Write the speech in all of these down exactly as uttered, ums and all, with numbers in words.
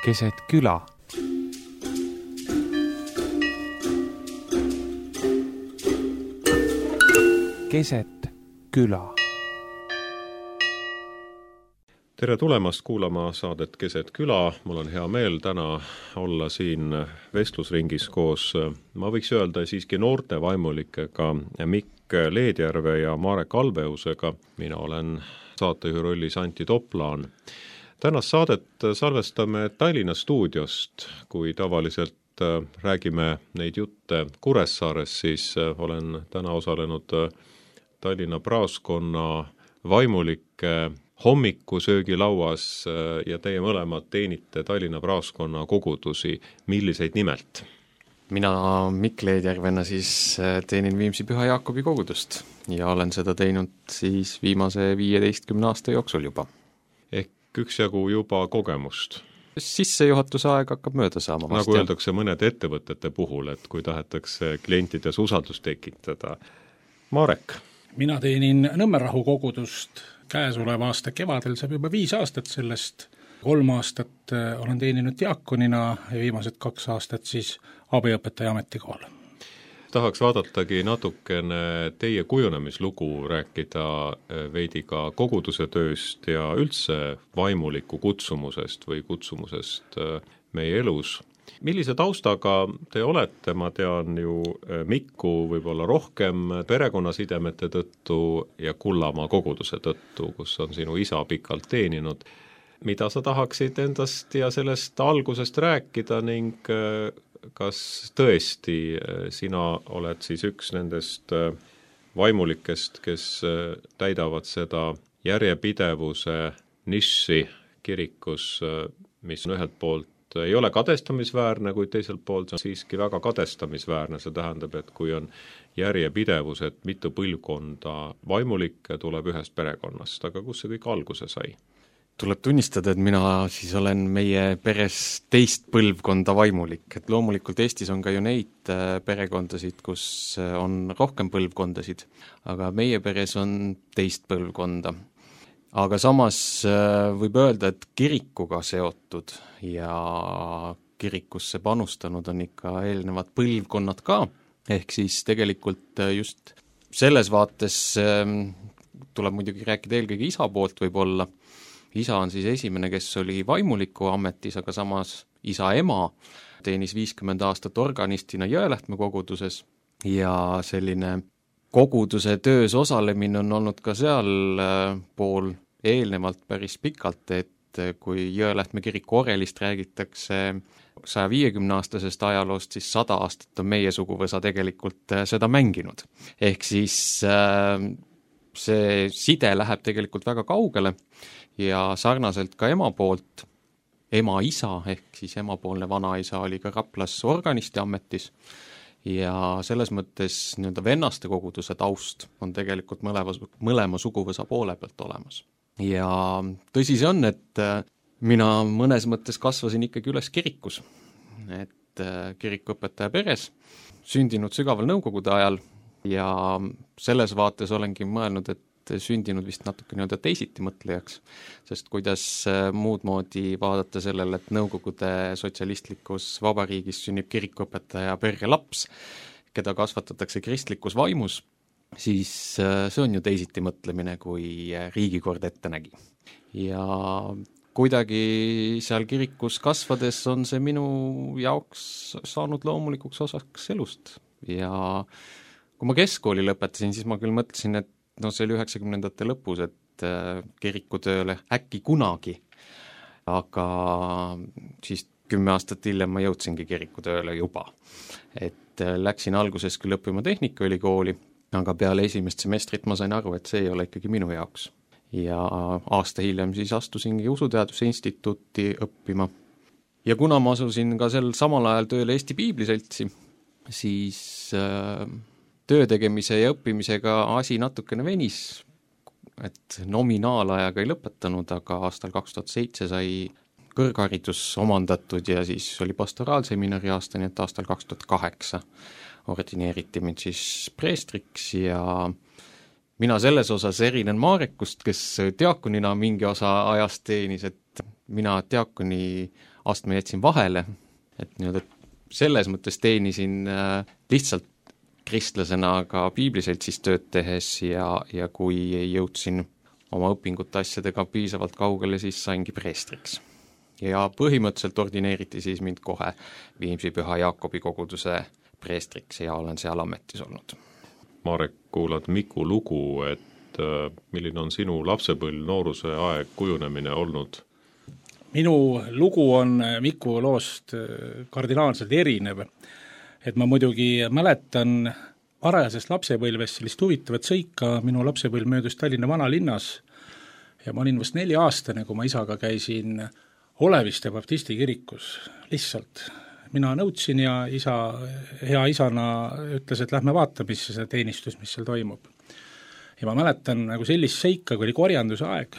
keset küla. Keset küla. Tere tulemast kuulama saadet Keset küla. Mul on hea meel täna olla siin vestlusringis koos, ma võiks öelda siiski noorte vaimulikega Mikk Leedjärve ja Marek Albeusega. Mina olen saatejuhi rollis Antti Toplaan. Tänast saadet salvestame Tallinna stuudiost. Kui tavaliselt räägime neid jutte Kuressaares, siis olen täna osalenud Tallinna praoskonna vaimulike hommikusöögilauas ja teie mõlemad teenite Tallinna praoskonna kogudusi. Milliseid nimelt? Mina Mikk Leedjärvena siis teenin Viimsi Püha Jaakobi kogudust ja olen seda teinud siis viimase viieteistkümne aasta jooksul juba. Ehk üksjagu juba kogemust. Sissejuhatuse aeg hakkab mööda saama. Nagu öeldakse mõned ettevõtete puhul, et kui tahetakse klientides usaldust tekitada. Marek? Mina teenin Nõmmerahu kogudust käesoleva aasta kevadel, saab juba viis aastat sellest. Kolm aastat olen teeninud diakonina ja viimased kaks aastat siis abiõpetaja ametikohal. Tahaks vaadatagi natukene teie kujunemislugu, rääkida veidi ka koguduse tööst ja üldse vaimuliku kutsumusest või kutsumusest meie elus. Millise taustaga te olete? Ma tean ju Mikku võib-olla rohkem perekonnasidemete tõttu ja Kullamaa koguduse tõttu, kus on sinu isa pikalt teeninud. Mida sa tahaksid endast ja sellest algusest rääkida ning kas tõesti sina oled siis üks nendest vaimulikest, kes täidavad seda järjepidevuse niši kirikus, mis on ühelt poolt ei ole kadestamisväärne, kuid teiselt poolt on siiski väga kadestamisväärne. See tähendab, et kui on järjepidevus, et mitu põlvkonda vaimulikke tuleb ühest perekonnast, aga kus see kõik alguse sai? Tuleb tunnistada, et mina siis olen meie peres teist põlvkonda vaimulik, et loomulikult Eestis on ka ju neid perekondasid, kus on rohkem põlvkondasid, aga meie peres on teist põlvkonda. Aga samas võib öelda, et kirikuga seotud ja kirikusse panustanud on ikka eelnevad põlvkonnad ka, ehk siis tegelikult just selles vaates tuleb muidugi rääkida eelkõige isa poolt võib-olla. Isa on siis esimene, kes oli vaimuliku ametis, aga samas isa ema teenis viiskümmend aastat organistina Jõelähtme koguduses ja selline koguduse töös osalemine on olnud ka seal pool eelnevalt päris pikalt, et kui Jõelähtme kiriku orelist räägitakse saja viiekümne aastasest ajaloost, siis sada aastat on meie suguvõsa tegelikult seda mänginud. Ehk siis see side läheb tegelikult väga kaugele ja sarnaselt ka ema poolt, ema isa ehk siis emapoolne vanaisa oli ka Raplas organisti ametis ja selles mõttes nii-öelda vennaste koguduse taust on tegelikult mõlema, mõlema suguvõsa poole pealt olemas. Ja tõsi see on, et mina mõnes mõttes kasvasin ikkagi üles kirikus, et kirikuõpetaja peres, sündinud sügaval nõukogude ajal ja selles vaates olengi mõelnud, et sündinud vist natuke nii-öelda teisiti mõtlejaks, sest kuidas muud moodi vaadata sellele, et nõukogude sotsialistlikus vabariigis sünnib kirikuõpetaja perre laps, keda kasvatatakse kristlikus vaimus, siis see on ju teisiti mõtlemine, kui riigikord ette nägi. Ja kuidagi seal kirikus kasvades on see minu jaoks saanud loomulikuks osaks elust. Ja kui ma keskkooli lõpetasin, siis ma küll mõtlesin, et no see oli üheksakümnendate lõpus, et kirikutööle äkki kunagi, aga siis kümme aastat hiljem ma jõudsingi kirikutööle juba. Et läksin alguses küll õppima Tehnikaülikooli, aga peale esimest semestrit ma sain aru, et see ei ole ikkagi minu jaoks. Ja aasta hiljem siis astusingi Usuteaduse instituuti õppima. Ja kuna ma asusin ka sel samal ajal tööle Eesti Piibliseltsi, siis äh, töö tegemise ja õppimisega asi natukene venis, et nominaalajaga ei lõpetanud, aga aastal kaks tuhat seitse sai kõrgharidus omandatud ja siis oli pastoraalseminari aasta, nii et aastal kaks tuhat kaheksa ordineeriti mind siis preestriks ja mina selles osas erinen Marekust, kes diakonina mingi osa ajast teenis, et mina diakoni astme jätsin vahele, et nii-öelda selles mõttes teenisin lihtsalt kristlasena ka piibliseltsis tööd tehes ja, ja kui jõudsin oma õpingute asjadega piisavalt kaugele, siis saingi preestriks. Ja põhimõtteliselt ordineeriti siis mind kohe Viimsi Püha Jaakobi koguduse preestriks ja olen seal ametis olnud. Marek, kuulad Miku lugu, et äh, milline on sinu lapsepõlv, nooruse aeg, kujunemine olnud? Minu lugu on Miku loost kardinaalselt erinev. Et ma muidugi mäletan varajasest lapsepõlvest sellist huvitavat sõika, minu lapsepõlv möödus Tallinna vanalinnas ja ma olin vast neli aastane, kui ma isaga käisin Oleviste baptisti kirikus. Lihtsalt mina nõudsin ja isa, hea isana ütles, et lähme vaata, mis see teenistus, mis seal toimub. Ja ma mäletan nagu sellist seika, kui oli korjanduse aeg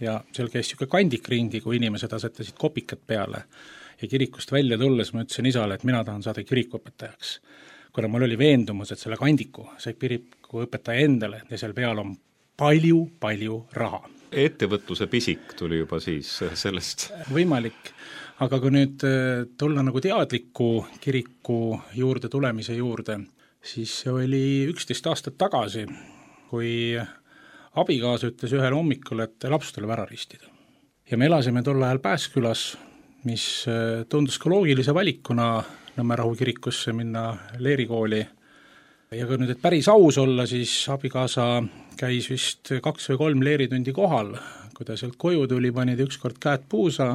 ja seal käis siuke kandik ringi, kui inimesed asetasid kopikat peale. Ja kirikust välja tulles ma ütlesin isale, et mina tahan saada kirikuõpetajaks. Kuna mul oli veendumus, et selle kandiku sai kirikuõpetaja endale ja seal peal on palju, palju raha. Ettevõtluse pisik tuli juba siis sellest. Võimalik, aga kui nüüd tulla nagu teadliku kiriku juurde tulemise juurde, siis see oli üksteist aastat tagasi, kui abikaasa ütles ühel hommikul, et laps tuleb ära ristida. Ja me elasime tol ajal Pääskülas, mis tundus ka loogilise valikuna Nõmmerahu kirikusse minna leerikooli. Ja kui nüüd, et päris aus olla, siis abikaasa käis vist kaks või kolm leeritundi kohal. Kui ta sealt koju tuli, pani ta ükskord käed puusa,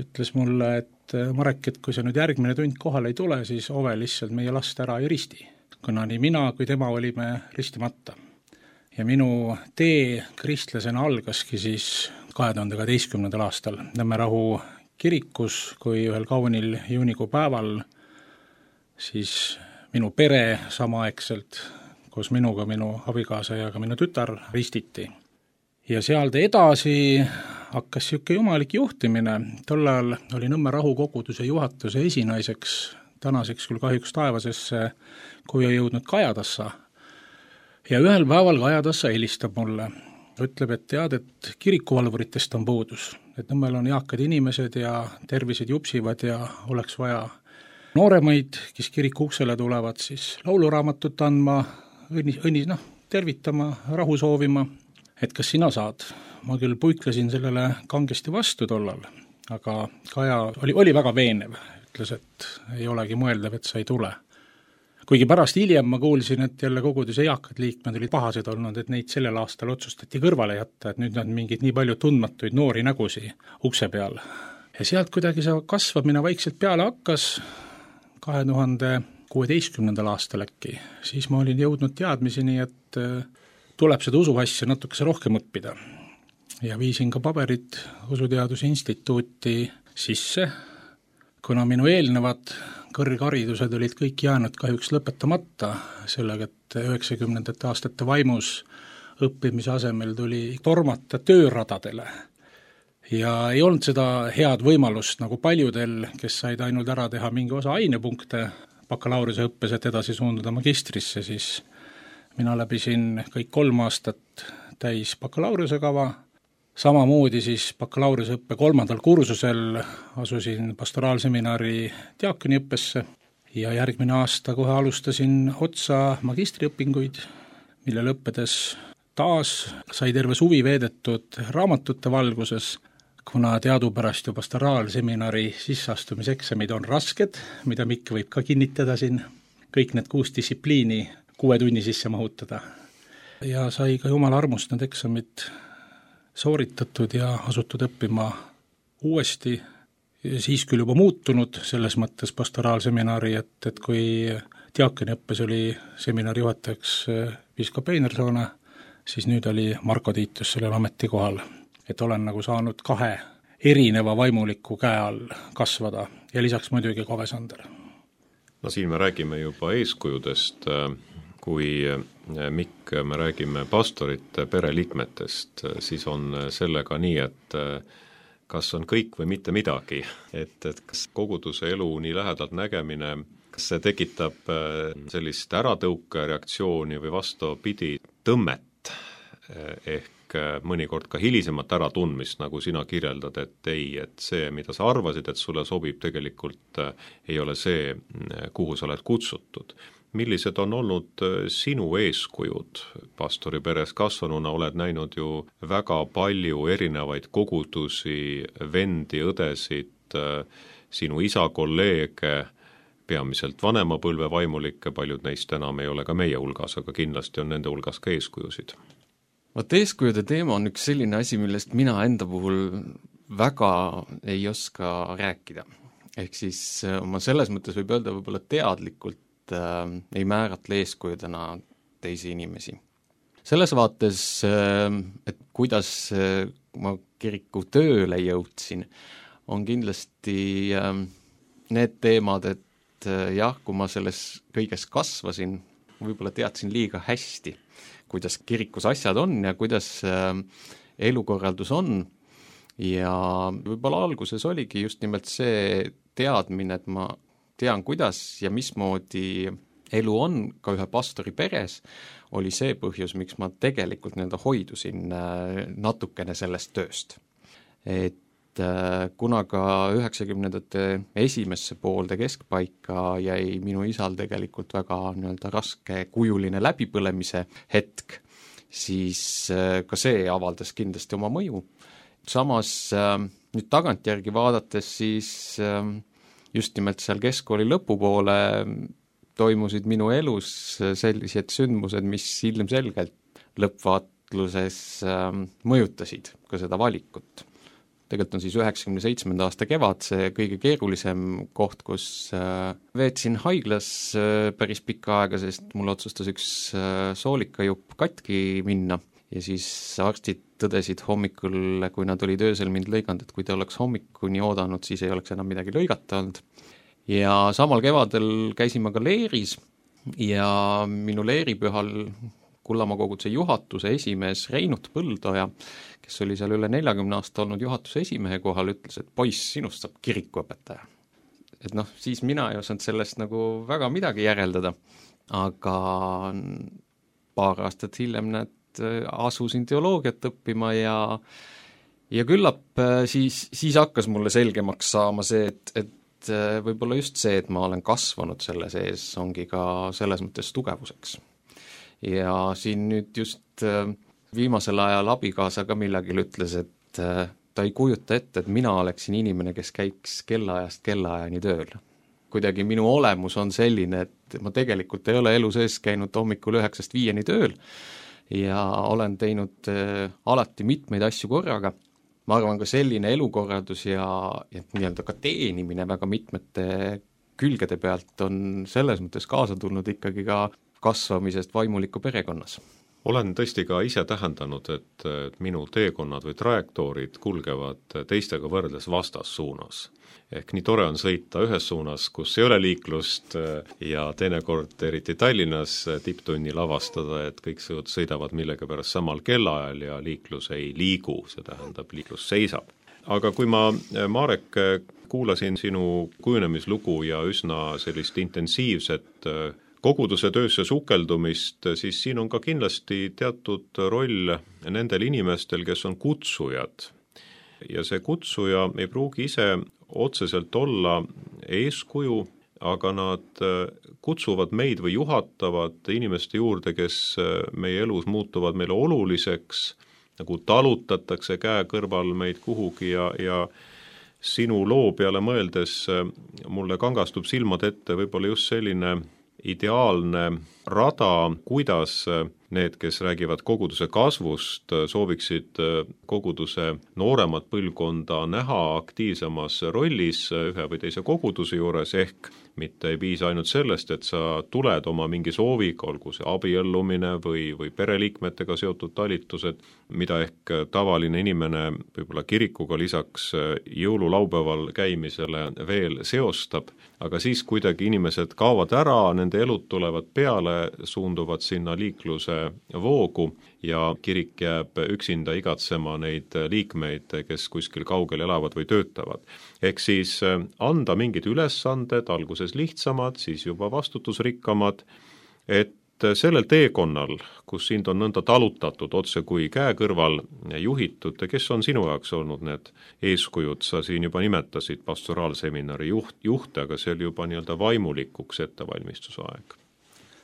ütles mulle, et Marek, et kui see nüüd järgmine tund kohal ei tule, siis ove lihtsalt meie last ära ei risti. Kuna nii mina kui tema olime ristimata. Ja minu tee kristlasena algaski siis kahe tuhande kaheteistkümnendal aastal Nõmmerahu kirikus, kui ühel kaunil juunikuu päeval siis minu pere samaaegselt koos minuga, minu abikaasa ja ka minu tütar ristiti. Ja sealt edasi hakkas siuke jumalik juhtimine. Tol ajal oli Nõmmerahu koguduse juhatuse esinaiseks, tänaseks küll kahjuks taevasesse, kui ei jõudnud Kajatassa. Ja ühel päeval Kajatassa helistab mulle. Ütleb, et tead, et kirikuvalvuritest on puudus. Et Nõmmel on eakad inimesed ja tervised jupsivad ja oleks vaja nooremaid, kes kiriku uksele tulevad, siis lauluraamatut andma, õnnis, õnnis, noh, tervitama, rahu soovima, et kas sina saad. Ma küll puiklesin sellele kangesti vastu tollal, aga Kaja oli, oli väga veenev, ütles, et ei olegi mõeldav, et sa ei tule. Kuigi pärast hiljem ma kuulsin, et jälle koguduse eakad liikmed olid pahased olnud, et neid sellel aastal otsustati kõrvale jätta, et nüüd on mingid nii palju tundmatuid noori nägusi ukse peal. Ja sealt kuidagi see kasvamine vaikselt peale hakkas, kahe tuhande kuueteistkümnendal aastal äkki, siis ma olin jõudnud teadmiseni, et tuleb seda usuasja natukese rohkem õppida. Ja viisin ka paberid Usuteaduse instituuti sisse, kuna minu eelnevad kõrgharidused olid kõik jäänud kahjuks lõpetamata, sellega, et üheksakümnendate aastate vaimus õppimise asemel tuli tormata tööradadele. Ja ei olnud seda head võimalust nagu paljudel, kes said ainult ära teha mingi osa ainepunkte bakalaureuse õppes, et edasi suunduda magistrisse, siis mina läbisin kõik kolm aastat täis bakalaureuse kava. Samamoodi siis bakalaureuse õppe kolmandal kursusel asusin pastoraalseminari diakoniõppesse ja järgmine aasta kohe alustasin otsa magistriõpinguid, mille lõppedes taas sai terve suvi veedetud raamatute valguses, kuna teadupärast ju pastoraalseminari sisseastumiseksamid on rasked, mida Mikk võib ka kinnitada siin, kõik need kuus distsipliini kuue tunni sisse mahutada. Ja sai ka jumala armust need eksamid sooritatud ja asutud õppima uuesti, siis küll juba muutunud selles mõttes pastoraalseminari, et, et kui diakoniõppes oli seminari juhatajaks piiskop Einersoone, siis nüüd oli Marko Tiitus sellel ametikohal, et olen nagu saanud kahe erineva vaimuliku käe all kasvada ja lisaks muidugi Kove Sander. No siin me räägime juba eeskujudest, kui Mikk, me räägime pastorite pereliikmetest, siis on sellega nii, et kas on kõik või mitte midagi, et, et kas koguduse elu nii lähedalt nägemine, kas see tekitab sellist äratõuke reaktsiooni või vastupidi tõmmet, ehk mõnikord ka hilisemat äratundmist, nagu sina kirjeldad, et ei, et see, mida sa arvasid, et sulle sobib, tegelikult ei ole see, kuhu sa oled kutsutud. Millised on olnud sinu eeskujud? Pastori peres kasvanuna oled näinud ju väga palju erinevaid kogudusi, vendi, õdesid, sinu isa kolleege, peamiselt vanema põlve vaimulikke, paljud neist enam ei ole ka meie hulgas, aga kindlasti on nende hulgas ka eeskujusid. Vaat eeskujude teema on üks selline asi, millest mina enda puhul väga ei oska rääkida. Ehk siis ma selles mõttes võib öelda võib-olla teadlikult äh, ei määratle eeskujudena teisi inimesi. Selles vaates, äh, et kuidas äh, ma kiriku tööle jõudsin, on kindlasti äh, need teemad, et jah, kui ma selles kõiges kasvasin, võib-olla teadsin liiga hästi, kuidas kirikus asjad on ja kuidas elukorraldus on ja võib-olla alguses oligi just nimelt see teadmine, et ma tean, kuidas ja mismoodi elu on ka ühe pastori peres, oli see põhjus, miks ma tegelikult nii-öelda hoidusin natukene sellest tööst. Et kuna ka üheksakümnendate esimesse poolde keskpaika jäi minu isal tegelikult väga nii-öelda raske kujuline läbipõlemise hetk, siis ka see avaldas kindlasti oma mõju. Samas nüüd tagantjärgi vaadates siis just nimelt seal keskkooli lõpupoole toimusid minu elus sellised sündmused, mis ilmselgelt lõppvaatluses mõjutasid ka seda valikut. Tegelikult on siis üheksakümne seitsmenda aasta kevad see kõige keerulisem koht, kus veetsin haiglas päris pikka aega, sest mul otsustas üks soolikajupp katki minna ja siis arstid tõdesid hommikul, kui nad olid öösel mind lõiganud, et kui te oleks hommikuni oodanud, siis ei oleks enam midagi lõigata olnud. Ja samal kevadel käisin ma ka leeris ja minu leeripühal Kullamaa koguduse juhatuse esimees Reinut Põldoja, kes oli seal üle neljakümne aasta olnud juhatuse esimehe kohal, ütles, et poiss, sinust saab kirikuõpetaja. Et noh, siis mina ei osanud sellest nagu väga midagi järeldada, aga paar aastat hiljem näed, asusin teoloogiat õppima ja, ja küllap siis, siis hakkas mulle selgemaks saama see, et, et võib-olla just see, et ma olen kasvanud selle sees, ongi ka selles mõttes tugevuseks. Ja siin nüüd just viimasel ajal abikaasa ka millagil ütles, et ta ei kujuta ette, et mina oleksin inimene, kes käiks kellaajast kellaajani tööl. Kuidagi minu olemus on selline, et ma tegelikult ei ole elu sees käinud hommikul üheksast viieni tööl ja olen teinud alati mitmeid asju korraga. Ma arvan ka selline elukorraldus ja, ja nii-öelda ka teenimine väga mitmete külgede pealt on selles mõttes kaasa tulnud ikkagi ka kasvamisest vaimuliku perekonnas. Olen tõesti ka ise tähendanud, et minu teekonnad või trajektoorid kulgevad teistega võrdes vastassuunas. Ehk nii tore on sõita ühes suunas, kus ei ole liiklust ja teinekord eriti Tallinnas tipptunnil avastada, et kõik sõidavad millega pärast samal kellaajal ja liiklus ei liigu, see tähendab, liiklus seisab. Aga kui ma, Marek, kuulasin sinu kujunemislugu ja üsna sellist intensiivset koguduse töösse sukeldumist, siis siin on ka kindlasti teatud roll nendel inimestel, kes on kutsujad. Ja see kutsuja ei pruugi ise otseselt olla eeskuju, aga nad kutsuvad meid või juhatavad inimeste juurde, kes meie elus muutuvad meile oluliseks, nagu talutatakse käe kõrval meid kuhugi ja, ja sinu loo peale mõeldes mulle kangastub silmad ette võib-olla just selline ideaalne rada, kuidas need, kes räägivad koguduse kasvust, sooviksid koguduse nooremat põlvkonda näha aktiivsemas rollis ühe või teise koguduse juures, ehk mitte ei piisa ainult sellest, et sa tuled oma mingi sooviga, olgu see abiellumine või, või pereliikmetega seotud talitused, mida ehk tavaline inimene võib-olla kirikuga lisaks jõululaupäeval käimisele veel seostab, aga siis kuidagi inimesed kaovad ära, nende elud tulevad peale, suunduvad sinna liikluse voogu ja kirik jääb üksinda igatsema neid liikmeid, kes kuskil kaugel elavad või töötavad. Ehk siis anda mingid ülesanded, alguses lihtsamad, siis juba vastutusrikkamad, et sellel teekonnal, kus sind on nõnda talutatud otse kui käe kõrval juhitud, kes on sinu jaoks olnud need eeskujud, sa siin juba nimetasid pastoraalseminari juht, juhte, aga see oli juba nii-öelda vaimulikuks ettevalmistusaeg.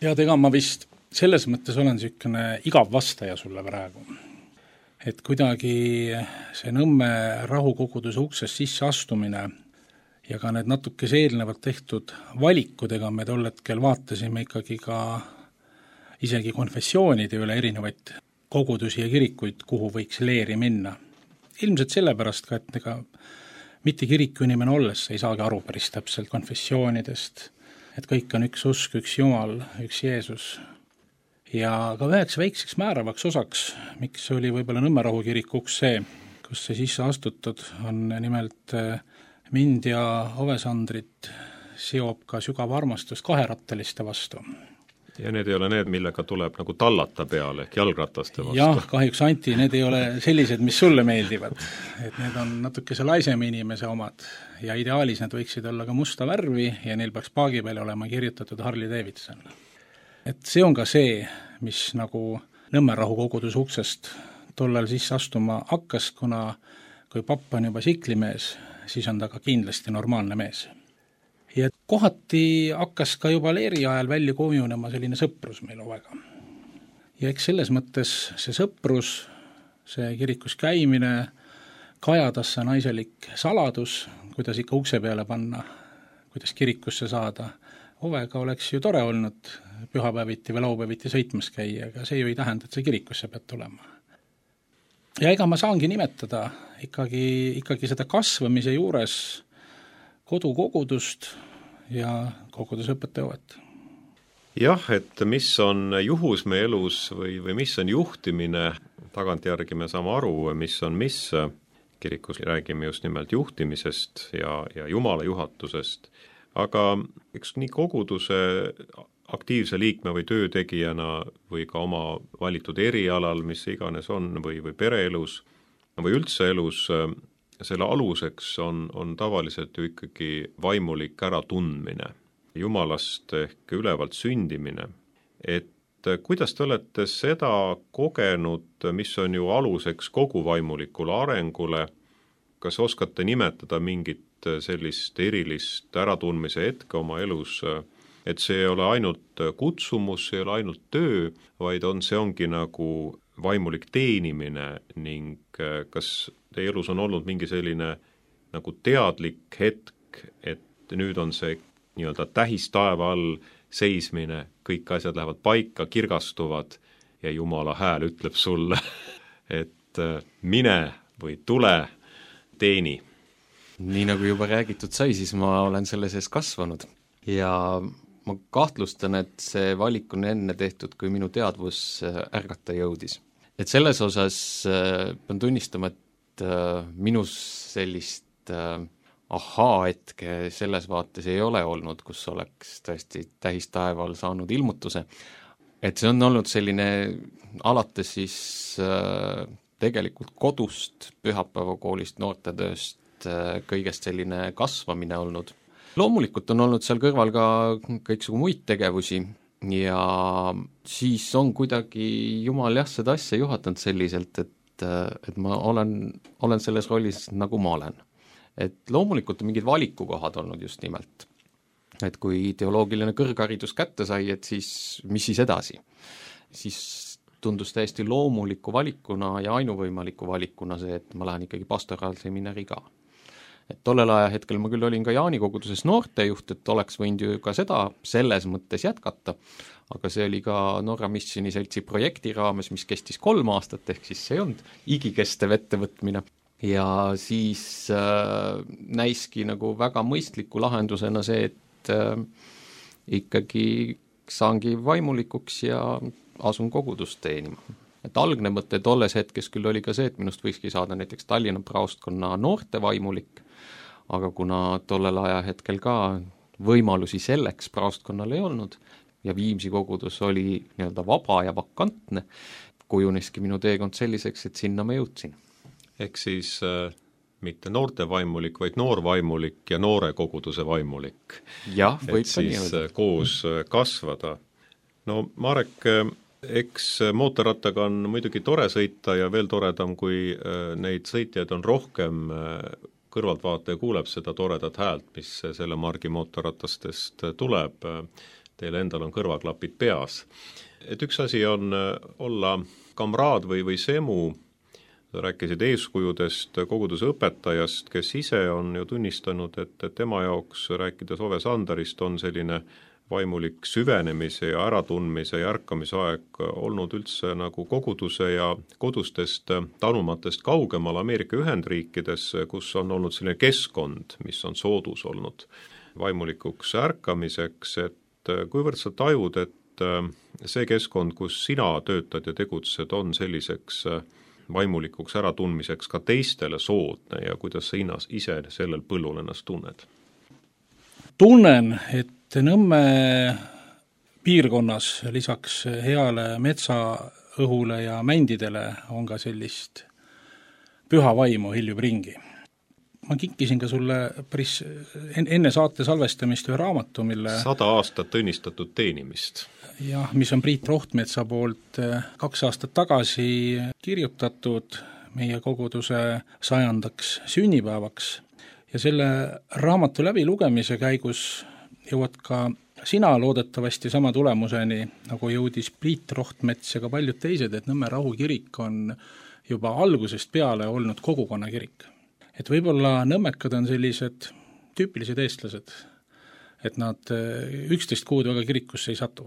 ja ega ma vist selles mõttes olen niisugune igav vastaja sulle praegu. Et kuidagi see Nõmme rahukoguduse uksest sisse astumine ja ka need natukese eelnevalt tehtud valikudega me tol hetkel vaatasime ikkagi ka isegi konfessioonide üle erinevaid kogudusi ja kirikuid, kuhu võiks leeri minna. Ilmselt sellepärast ka, et ega mitte kiriku inimene olles ei saagi aru päris täpselt konfessioonidest, et kõik on üks usk, üks Jumal, üks Jeesus. Ja ka üheks väikseks määravaks osaks, miks oli võib-olla Nõmme rahu kirik uks see, kus see sisse astutud, on nimelt mind ja Ovesandrit seob ka sügav armastus kaherattaliste vastu. Ja need ei ole need, millega tuleb nagu tallata peale, ehk jalgrataste vastu. Jah, kahjuks Anti, need ei ole sellised, mis sulle meeldivad. Et need on natukese laisema inimese omad ja ideaalis need võiksid olla ka musta värvi ja neil peaks paagi peale olema kirjutatud Harley Davidson. Et see on ka see, mis nagu Nõmme rahu koguduse uksest tollal sisse astuma hakkas, kuna kui papp on juba siklimees, siis on ta ka kindlasti normaalne mees. Ja kohati hakkas ka juba leeri ajal välja kujunema selline sõprus meil ovega. Ja eks selles mõttes see sõprus, see kirikus käimine, kajadas see naiselik saladus, kuidas ikka ukse peale panna, kuidas kirikusse saada. Ovega oleks ju tore olnud pühapäeviti või laupäeviti sõitmas käia, aga see ju ei tähenda, et see kirikusse peab tulema. Ja ega ma saangi nimetada ikkagi, ikkagi seda kasvamise juures kodukogudust ja kogudusõpetajaõuet. Jah, et mis on juhus meie elus või, või mis on juhtimine, tagantjärgi me saame aru, mis on mis, kirikus räägime just nimelt juhtimisest ja, ja Jumala juhatusest, aga eks nii koguduse aktiivse liikme või töötegijana või ka oma valitud erialal, mis iganes on, või, või pereelus või üldse elus, selle aluseks on, on tavaliselt ju ikkagi vaimulik äratundmine, Jumalast ehk ülevalt sündimine. Et kuidas te olete seda kogenud, mis on ju aluseks kogu vaimulikule arengule, kas oskate nimetada mingit sellist erilist äratundmise hetke oma elus, et see ei ole ainult kutsumus, see ei ole ainult töö, vaid on, see ongi nagu vaimulik teenimine ning kas teie elus on olnud mingi selline nagu teadlik hetk, et nüüd on see nii-öelda tähistaeva all seismine, kõik asjad lähevad paika, kirgastuvad ja Jumala hääl ütleb sulle, et mine või tule, teeni. Nii nagu juba räägitud sai, siis ma olen selle sees kasvanud ja ma kahtlustan, et see valik on enne tehtud, kui minu teadvus ärgata jõudis. Et selles osas pean tunnistama, et minus sellist ahaa-hetke selles vaates ei ole olnud, kus oleks tõesti tähistaeval saanud ilmutuse. Et see on olnud selline alates siis tegelikult kodust, pühapäevakoolist, noortetööst, kõigest selline kasvamine olnud. Loomulikult on olnud seal kõrval ka kõiksugu muid tegevusi ja siis on kuidagi Jumal jah seda asja juhatanud selliselt, et, et ma olen, olen selles rollis nagu ma olen. Et loomulikult on mingid valikukohad olnud just nimelt. Et kui teoloogiline kõrgharidus kätte sai, et siis mis siis edasi? Siis tundus täiesti loomuliku valikuna ja ainuvõimaliku valikuna see, et ma lähen ikkagi pastoraalseminari ka. Et tollel aja hetkel ma küll olin ka Jaani koguduses noortejuht, et oleks võinud ju ka seda selles mõttes jätkata, aga see oli ka Norra Missioni seltsi projekti raames, mis kestis kolm aastat, ehk siis see ei olnud igikestev ettevõtmine. Ja siis äh, näiski nagu väga mõistliku lahendusena see, et äh, ikkagi saangi vaimulikuks ja asun kogudust teenima. Et algne mõte tolles hetkes küll oli ka see, et minust võikski saada näiteks Tallinna praostkonna noorte vaimulik, aga kuna tollel aja hetkel ka võimalusi selleks praostkonnal ei olnud ja Viimsi kogudus oli nii-öelda vaba ja vakantne, kujuneski minu teekond selliseks, et sinna ma jõudsin. Ehk siis äh, mitte noorte vaimulik, vaid noor vaimulik ja noore koguduse vaimulik. Jah, võib et siis nii, koos kasvada. no Marek, eks mootorrattaga on muidugi tore sõita ja veel toredam, kui neid sõitjaid on rohkem, kõrvaltvaataja kuuleb seda toredat häält, mis selle margi mootorratastest tuleb, teil endal on kõrvaklapid peas. Et üks asi on olla kamraad või, või semu, rääkisid eeskujudest, koguduse õpetajast, kes ise on ju tunnistanud, et, et tema jaoks, rääkides Ove Sandarist, on selline vaimulik süvenemise ja äratundmise ja ärkamise aeg olnud üldse nagu koguduse ja kodustest tanumatest kaugemal Ameerika Ühendriikides, kus on olnud selline keskkond, mis on soodus olnud vaimulikuks ärkamiseks, et kuivõrd sa tajud, et see keskkond, kus sina töötad ja tegutsed, on selliseks vaimulikuks äratundmiseks ka teistele soodne ja kuidas sa hinnas ise sellel põllul ennast tunned? Tunnen, et Nõmme piirkonnas lisaks heale metsaõhule ja mändidele on ka sellist püha vaimu hiljub ringi. Ma kinkisin ka sulle päris enne saate salvestamist ühe raamatu, mille sada aastat õnnistatud teenimist. Jah, mis on Priit Rohtmetsa poolt kaks aastat tagasi kirjutatud meie koguduse sajandaks sünnipäevaks. Ja selle raamatu läbi lugemise käigus jõuad ka sina loodetavasti sama tulemuseni, nagu jõudis Priit Rohtmets ja ka paljud teised, et Nõmme Rahu kirik on juba algusest peale olnud kogukonna kirik. Et võib-olla nõmmekad on sellised tüüpilised eestlased, et nad üksteist kuud väga kirikusse ei satu.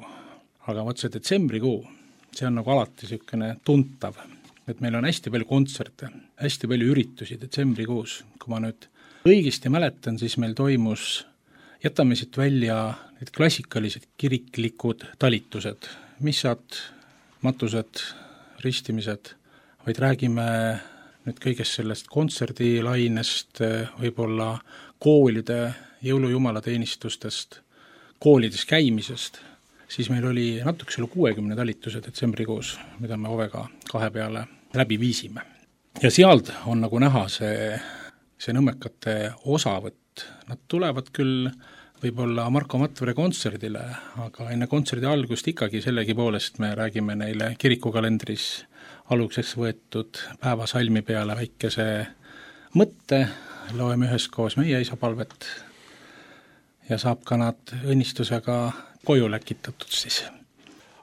Aga võt see detsembrikuu, see on nagu alati niisugune tuntav, et meil on hästi palju kontserte, hästi palju üritusi detsembrikuus. Kui ma nüüd õigesti mäletan, siis meil toimus, jätame siit välja need klassikalised kiriklikud talitused, missad, matused, ristimised, vaid räägime nüüd kõigest sellest kontserdilainest, võib-olla koolide jõulujumalateenistustest, koolides käimisest, siis meil oli natuke selle kuuekümne talituse detsembrikuus, mida me Ovega kahe peale läbi viisime. Ja sealt on nagu näha see, see nõmmekate osavõtt. Nad tulevad küll võib-olla Marko Matvere kontserdile, aga enne kontserdi algust ikkagi sellegi poolest me räägime neile kirikukalendris aluseks võetud päevasalmi peale väikese mõtte, loeme üheskoos meie isapalvet ja saab ka nad õnnistusega koju läkitatud siis.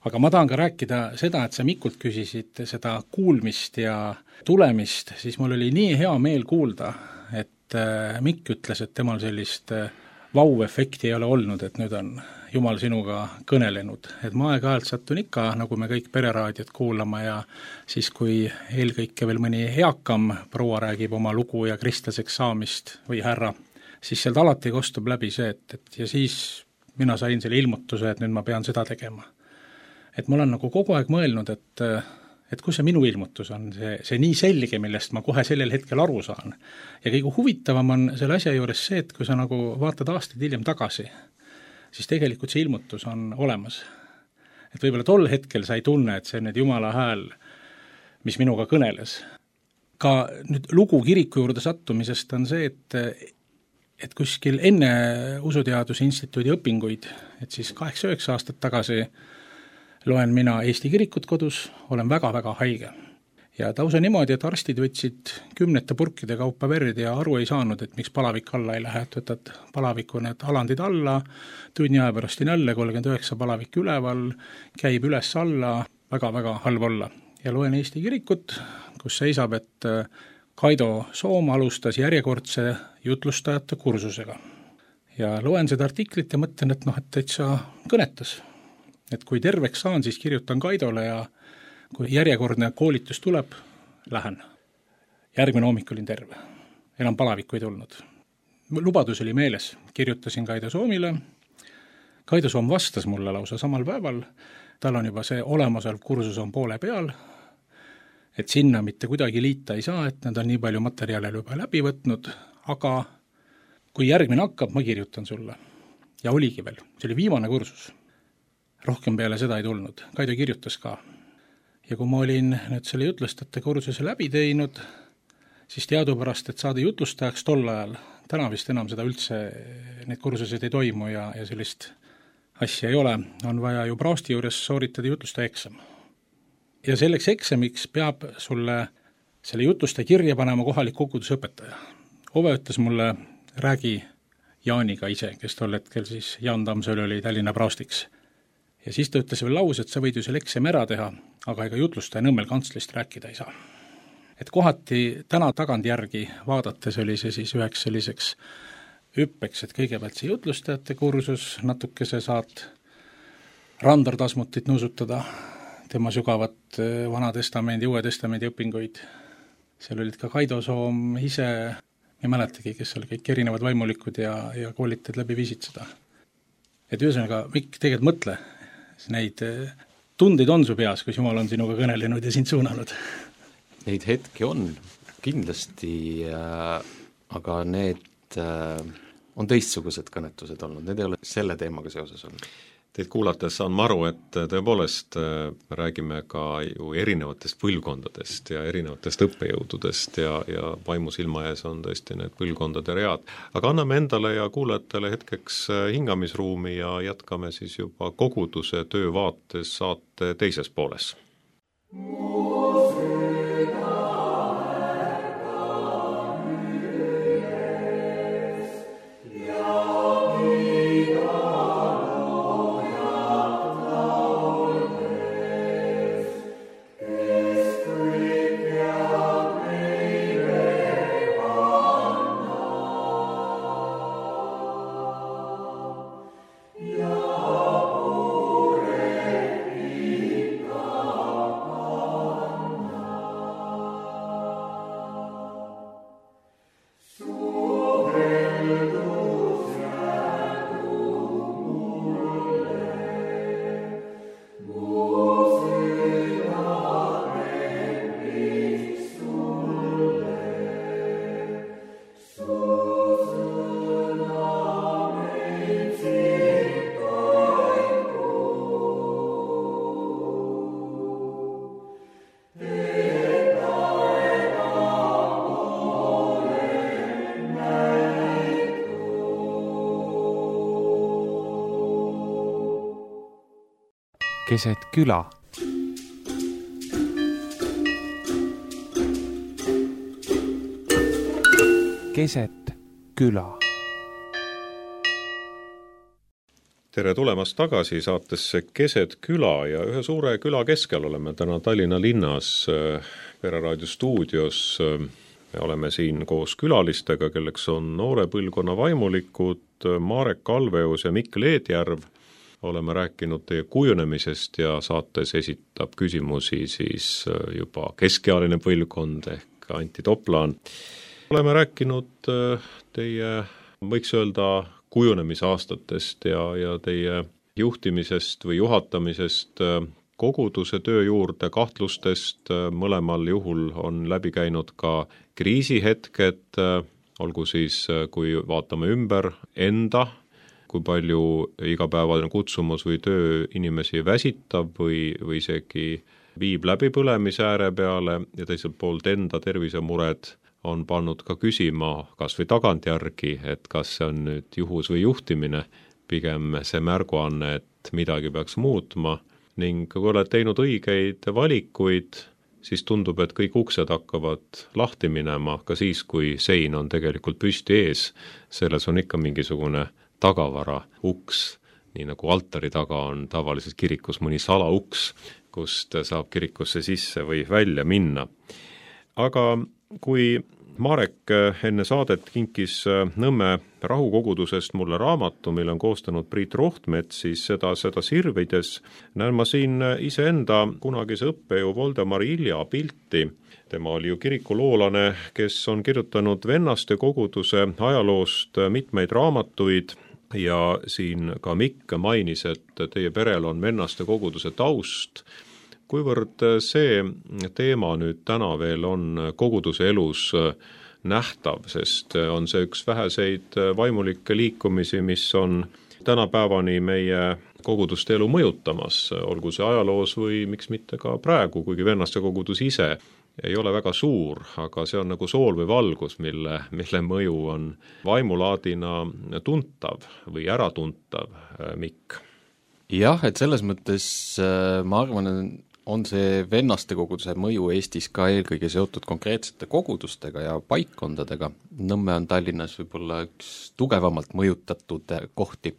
Aga ma tahan ka rääkida seda, et sa Mikult küsisid seda kuulmist ja tulemist, siis mul oli nii hea meel kuulda, et Mikk ütles, et temal sellist vau-efekti ei ole olnud, et nüüd on Jumal sinuga kõnelenud. Et ma aeg-ajalt sattun ikka, nagu me kõik pereraadiot kuulama ja siis, kui eelkõike veel mõni eakam proua räägib oma lugu ja kristlaseks saamist või härra, siis sealt alati kostub läbi see, et, et ja siis mina sain selle ilmutuse, et nüüd ma pean seda tegema. Et ma olen nagu kogu aeg mõelnud, et, et kus see minu ilmutus on, see, see nii selge, millest ma kohe sellel hetkel aru saan. Ja kõige huvitavam on selle asja juures see, et kui sa nagu vaatad aastaid hiljem tagasi, siis tegelikult see ilmutus on olemas. Et võib-olla tol hetkel sa ei tunne, et see on nüüd Jumala hääl, mis minuga kõneles. Ka nüüd lugu kiriku juurde sattumisest on see, et et kuskil enne Usuteaduse Instituudi õpinguid, et siis kaheksa-üheksa aastat tagasi loen mina Eesti kirikut kodus, olen väga-väga haige. Ja tausa niimoodi, et arstid võtsid kümnete purkide kaupa verd ja aru ei saanud, et miks palavik alla ei lähe, et võtad palaviku need alandid alla, tunni aja pärast on jälle kolmkümmend üheksa palavik üleval, käib üles alla, väga-väga halb olla. Ja loen Eesti kirikut, kus seisab, et Kaido Soom alustas järjekordse jutlustajate kursusega. Ja loen seda artiklit ja mõtlen, et noh, et täitsa kõnetas. Et kui terveks saan, siis kirjutan Kaidole ja kui järjekordne koolitus tuleb, lähen. Järgmine hommik olin terve. Enam palavikku ei tulnud. Lubadus oli meeles. Kirjutasin Kaido Soomile. Kaido Soom vastas mulle lausa samal päeval. Tal on juba see olemasolev kursus on poole peal. Et sinna mitte kuidagi liita ei saa, et nad on nii palju materjale juba läbi võtnud, aga kui järgmine hakkab, ma kirjutan sulle. Ja oligi veel, see oli viimane kursus. Rohkem peale seda ei tulnud, Kaido kirjutas ka. Ja kui ma olin nüüd selle jutlustajate kursuse läbi teinud, siis teadupärast, et saada jutlustajaks tol ajal, täna vist enam seda üldse, need kursused ei toimu ja, ja sellist asja ei ole, on vaja ju Prousti juures sooritada jutlustaja eksam. Ja selleks eksamiks peab sulle selle jutlustaja kirja panema kohalik kogudusõpetaja. Ove ütles mulle, räägi Jaaniga ise, kes tol hetkel siis Jaan Tammsalu oli Tallinna Proustiks. Ja siis ta ütles veel lause, et sa võid ju selle eksami ära teha, aga ega jutlustaja Nõmmel kantslist rääkida ei saa. Et kohati täna tagantjärgi vaadates oli see siis üheks selliseks hüppeks, et kõigepealt see jutlustajate kursus, natukese saad Randar Tasmutit nuusutada, tema sügavat Vana Testamendi, Uue Testamendi õpinguid. Seal olid ka Kaido Soom ise, ei mäletagi, kes seal kõik erinevad vaimulikud ja, ja koolitajad läbi viisid seda. Et ühesõnaga, Mikk, tegelikult mõtle, neid tundeid on su peas, kus Jumal on sinuga kõnelenud ja sind suunanud. Neid hetki on kindlasti, äh, aga need äh, on teistsugused kõnetused olnud, need ei ole selle teemaga seoses olnud. Teid kuulates saan ma aru, et tõepoolest räägime ka ju erinevatest põlvkondadest ja erinevatest õppejõududest ja, ja vaimusilma ees on tõesti need põlvkondade read. Aga anname endale ja kuulajatele hetkeks hingamisruumi ja jätkame siis juba koguduse töö vaates saate teises pooles. Keset küla. Keset küla. Tere tulemast tagasi saatesse Keset küla ja ühe suure küla keskel oleme täna Tallinna linnas Pereraadio stuudios. Me oleme siin koos külalistega, kelleks on noore põlvkonna vaimulikud Marek Kalveus ja Mikk Leedjärv. Oleme rääkinud teie kujunemisest ja saates esitab küsimusi siis juba keskealine põlvkond ehk Anti Toplaan. Oleme rääkinud teie, võiks öelda, kujunemisaastatest ja, ja teie juhtimisest või juhatamisest koguduse töö juurde, kahtlustest. Mõlemal juhul on läbi käinud ka kriisihetked, olgu siis, kui vaatame ümber enda, kui palju igapäevane kutsumus või töö inimesi väsitab või, või isegi viib läbi põlemise ääre peale ja teiselt poolt enda tervisemured on pannud ka küsima kas või tagantjärgi, et kas see on nüüd juhus või juhtimine, pigem see märguanne, et midagi peaks muutma ning kui oled teinud õigeid valikuid, siis tundub, et kõik uksed hakkavad lahti minema, ka siis, kui sein on tegelikult püsti ees, selles on ikka mingisugune tagavara uks, nii nagu altari taga on tavaliselt kirikus mõni salauks, kust saab kirikusse sisse või välja minna. Aga kui Marek enne saadet kinkis Nõmme rahukogudusest mulle raamatu, mille on koostanud Priit Rohtmets, siis seda, seda sirvides näen ma siin iseenda kunagise õppejõu Voldemar Ilja pilti. Tema oli ju kirikuloolane, kes on kirjutanud vennaste koguduse ajaloost mitmeid raamatuid, ja siin ka Mikk mainis, et teie perel on vennaste koguduse taust. Kuivõrd see teema nüüd täna veel on koguduse elus nähtav, sest on see üks väheseid vaimulikke liikumisi, mis on tänapäevani meie koguduste elu mõjutamas, olgu see ajaloos või miks mitte ka praegu, kuigi vennaste kogudus ise ei ole väga suur, aga see on nagu sool või valgus, mille, mille mõju on vaimulaadina tuntav või äratuntav, Mikk. jah, et selles mõttes ma arvan, on see vennaste koguduse mõju Eestis ka eelkõige seotud konkreetsete kogudustega ja paikkondadega. Nõmme on Tallinnas võib-olla üks tugevamalt mõjutatud kohti.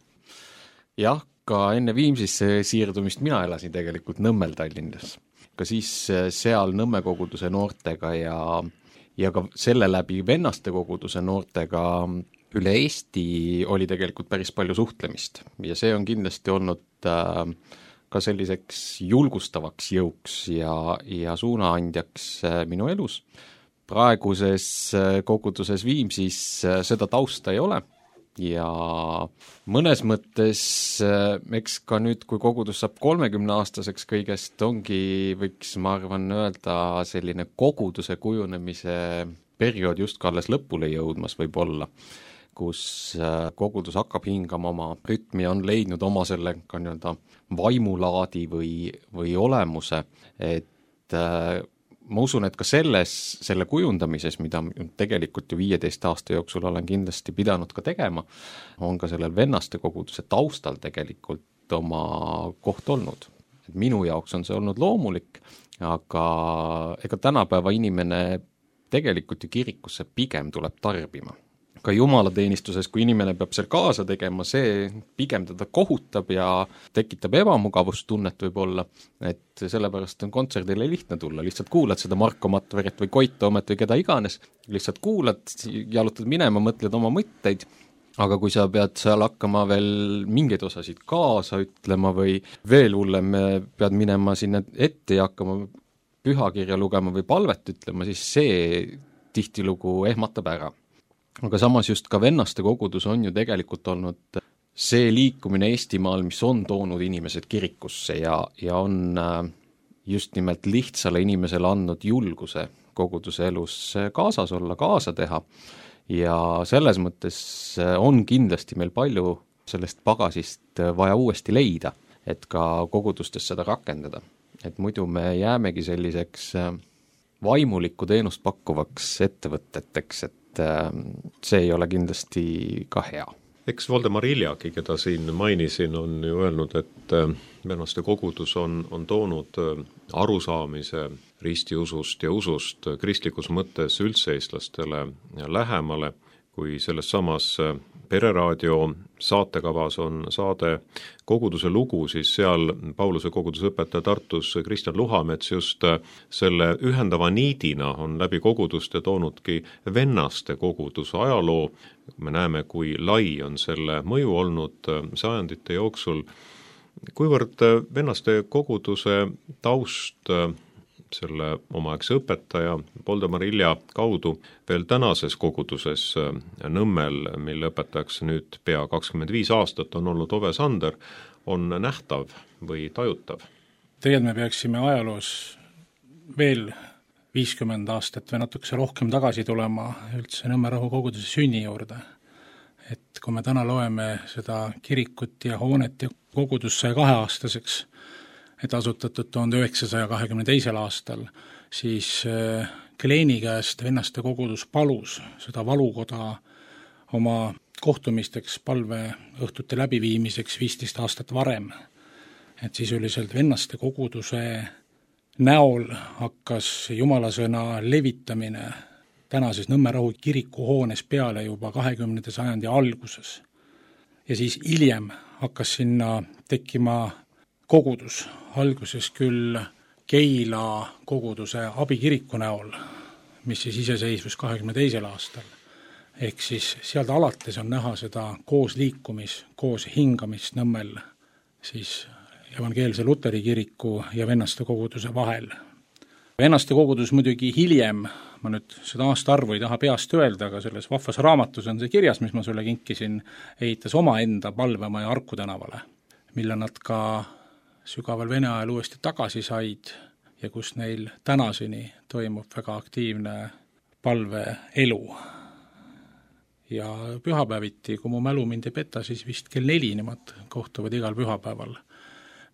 Jah, ka enne Viimsisse siirdumist mina elasin tegelikult Nõmmel Tallinnas. Ka siis seal Nõmme koguduse noortega ja, ja ka selle läbi vennaste koguduse noortega üle Eesti oli tegelikult päris palju suhtlemist. Ja see on kindlasti olnud äh, ka selliseks julgustavaks jõuks ja, ja suunaandjaks minu elus. Praeguses koguduses Viimsis seda tausta ei ole ja mõnes mõttes, eks ka nüüd, kui kogudus saab kolmekümne aastaseks kõigest, ongi, võiks ma arvan öelda, selline koguduse kujunemise periood just ka alles lõpule jõudmas võib olla, kus kogudus hakkab hingama oma rütmi ja on leidnud oma selle ka nii-öelda vaimulaadi või, või olemuse, et äh, ma usun, et ka selles, selle kujundamises, mida tegelikult ju viieteist aasta jooksul olen kindlasti pidanud ka tegema, on ka sellel vennaste koguduse taustal tegelikult oma koht olnud. Et minu jaoks on see olnud loomulik, aga ega tänapäeva inimene tegelikult ju kirikusse pigem tuleb tarbima. Ka jumalateenistuses, kui inimene peab seal kaasa tegema, see pigem teda kohutab ja tekitab ebamugavustunnet võib-olla, et sellepärast on kontserdile lihtne tulla, lihtsalt kuulad seda Marko Matveret või Koit Toomet või keda iganes, lihtsalt kuulad, jalutad minema, mõtled oma mõtteid, aga kui sa pead seal hakkama veel mingeid osasid kaasa ütlema või veel hullem, pead minema sinna ette ja hakkama pühakirja lugema või palvet ütlema, siis see tihtilugu ehmatab ära. Aga samas just ka vennaste kogudus on ju tegelikult olnud see liikumine Eestimaal, mis on toonud inimesed kirikusse ja, ja on just nimelt lihtsale inimesele andnud julguse koguduse elus kaasas olla, kaasa teha. Ja selles mõttes on kindlasti meil palju sellest pagasist vaja uuesti leida, et ka kogudustes seda rakendada. Et muidu me jäämegi selliseks vaimulikku teenust pakkuvaks ettevõteteks, et see ei ole kindlasti ka hea. Eks Voldemar Iljaki, keda siin mainisin, on ju öelnud, et vennaste kogudus on, on toonud arusaamise ristiusust ja usust kristlikus mõttes üldse eestlastele lähemale, kui selles samas Pereraadio saatekavas on saade Koguduse lugu, siis seal Pauluse koguduse õpetaja Tartus Kristjan Luhamets just selle ühendava niidina on läbi koguduste toonudki vennaste koguduse ajaloo. Me näeme, kui lai on selle mõju olnud sajandite jooksul, kuivõrd vennaste koguduse taust selle omaaegse õpetaja Voldemar Ilja kaudu veel tänases koguduses Nõmmel, mille õpetajaks nüüd pea kakskümmend viis aastat on olnud Ove Sander, on nähtav või tajutav? Tegelikult me peaksime ajaloos veel viiskümmend aastat või natukese rohkem tagasi tulema üldse Nõmme Rahu koguduse sünni juurde. Et kui me täna loeme seda kirikut ja hoonet ja kogudus sai kaheaastaseks, et asutatud tuhande üheksasaja kahekümne teisel aastal, siis Kleeni käest vennaste kogudus palus seda valukoda oma kohtumisteks palveõhtute läbiviimiseks viisteist aastat varem. Et sisuliselt vennaste koguduse näol hakkas jumalasõna levitamine tänases Nõmme Rahu kirikuhoones peale juba kahekümnenda sajandi alguses. Ja siis hiljem hakkas sinna tekkima kogudus, alguses küll Keila koguduse abikiriku näol, mis siis iseseisvus kahekümne teisel aastal. Ehk siis sealt alates on näha seda koos liikumis, koos hingamist Nõmmel siis evangeelse Luteri kiriku ja vennaste koguduse vahel. Vennaste kogudus muidugi hiljem, ma nüüd seda aasta arvu ei taha peast öelda, aga selles vahvas raamatus on see kirjas, mis ma sulle kinkisin, ehitas oma enda palvemaja Arku tänavale, mille nad ka sügaval Vene ajal uuesti tagasi said ja kus neil tänaseni toimub väga aktiivne palveelu. Ja pühapäeviti, kui mu mälu mind ei peta, siis vist kell neli nemad kohtuvad igal pühapäeval,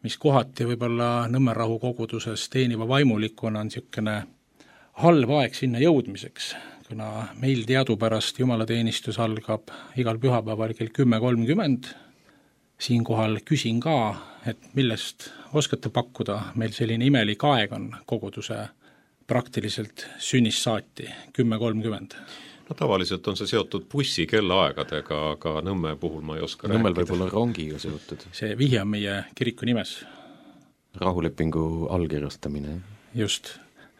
mis kohati võib-olla Nõmme Rahu koguduses teeniva vaimulikuna on niisugune halb aeg sinna jõudmiseks, kuna meil teadupärast jumalateenistus algab igal pühapäeval kell kümme kolmkümmend siinkohal küsin ka, et millest oskate pakkuda, meil selline imelik aeg on koguduse praktiliselt sünnist saati, kümme kolmkümmend. No tavaliselt on see seotud bussi kellaaegadega, aga Nõmme puhul ma ei oska Nõmmel rääkida. võib olla rongiga seotud. See vihje on meie kiriku nimes. Rahulepingu allkirjastamine. Just,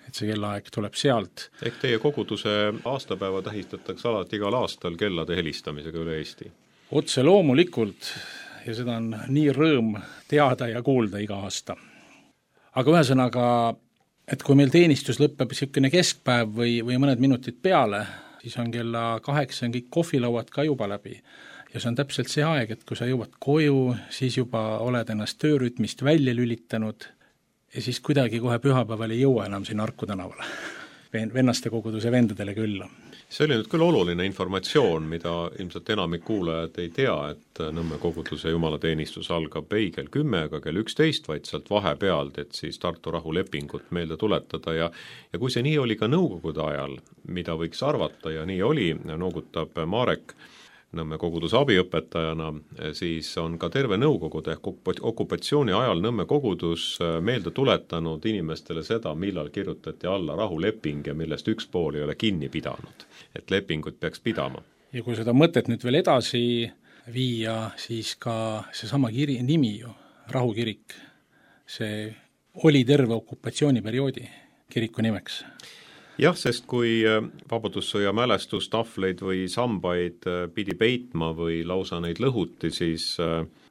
et see kellaaeg tuleb sealt. Ehk teie koguduse aastapäeva tähistatakse alati igal aastal kellade helistamisega üle Eesti? Otse loomulikult, ja seda on nii rõõm teada ja kuulda iga aasta. Aga ühesõnaga, et kui meil teenistus lõpeb niisugune keskpäev või, või mõned minutid peale, siis on kella kaheksa on kõik kohvilauad ka juba läbi. Ja see on täpselt see aeg, et kui sa jõuad koju, siis juba oled ennast töörütmist välja lülitanud ja siis kuidagi kohe pühapäeval ei jõua enam siin Arku tänavale. Vennaste koguduse vendadele külla. See oli nüüd küll oluline informatsioon, mida ilmselt enamik kuulajad ei tea, et Nõmme koguduse jumalateenistus algab ei kell kümme, aga kell üksteist, vaid sealt vahepealt, et siis Tartu rahulepingut meelde tuletada ja ja kui see nii oli ka nõukogude ajal, mida võiks arvata ja nii oli, noogutab Marek Nõmme koguduse abiõpetajana, siis on ka terve nõukogude okupatsiooni ajal Nõmme kogudus meelde tuletanud inimestele seda, millal kirjutati alla rahuleping ja millest üks pool ei ole kinni pidanud. Et lepingut peaks pidama. Ja kui seda mõtet nüüd veel edasi viia, siis ka seesama kiri, nimi ju, rahukirik, see oli terve okupatsiooniperioodi kiriku nimeks. Jah, sest kui vabadussõja mälestustahvleid või sambaid pidi peitma või lausa neid lõhuti, siis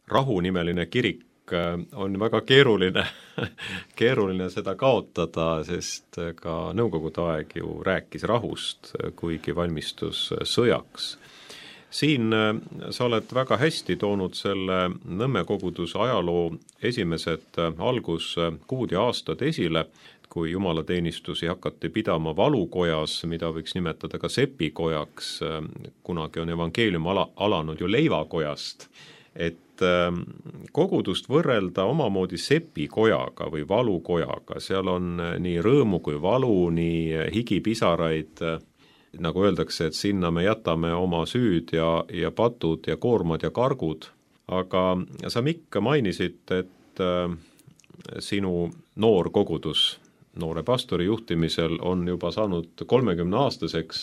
rahunimeline kirik on väga keeruline, keeruline seda kaotada, sest ka nõukogude aeg ju rääkis rahust, kuigi valmistus sõjaks. Siin sa oled väga hästi toonud selle Nõmme koguduse ajaloo esimesed alguskuud ja aastad esile, kui jumalateenistusi hakati pidama valukojas, mida võiks nimetada ka sepikojaks, kunagi on evangeelium ala, alanud ju leivakojast, et kogudust võrrelda omamoodi sepikojaga või valukojaga, seal on nii rõõmu kui valu, nii higipisaraid, nagu öeldakse, et sinna me jätame oma süüd ja, ja patud ja koormad ja kargud, aga sa Mikk mainisid, et sinu noor kogudus noore pastori juhtimisel on juba saanud kolmekümne aastaseks,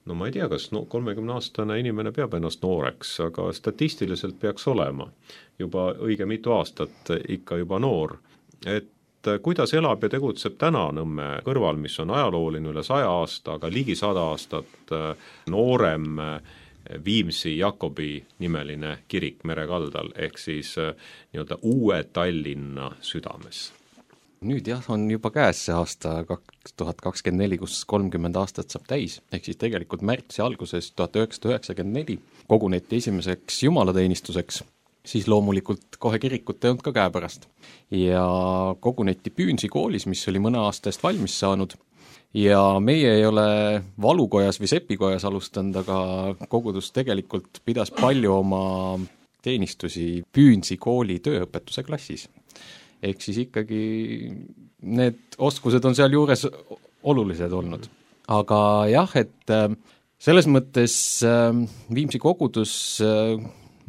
no ma ei tea, kas no, kolmekümne aastane inimene peab ennast nooreks, aga statistiliselt peaks olema juba õige mitu aastat ikka juba noor. Et kuidas elab ja tegutseb täna Nõmme kõrval, mis on ajalooline üle saja aasta, aga ligi sada aastat noorem Viimsi Jakobi nimeline kirik Merekaldal, ehk siis nii-öelda uue Tallinna südames? Nüüd jah, on juba käes see aasta kaks tuhat kakskümmend neli, kus kolmkümmend aastat saab täis, ehk siis tegelikult märtsi alguses tuhat üheksasada üheksakümmend neli koguneti esimeseks jumalateenistuseks, siis loomulikult kohe kirikut ei olnud ka käepärast. Ja koguneti Püünsi koolis, mis oli mõne aasta eest valmis saanud, ja meie ei ole valukojas või sepikojas alustanud, aga kogudus tegelikult pidas palju oma teenistusi Püünsi kooli tööõpetuse klassis. Ehk siis ikkagi need oskused on seal juures olulised olnud. Aga jah, et selles mõttes Viimsi kogudus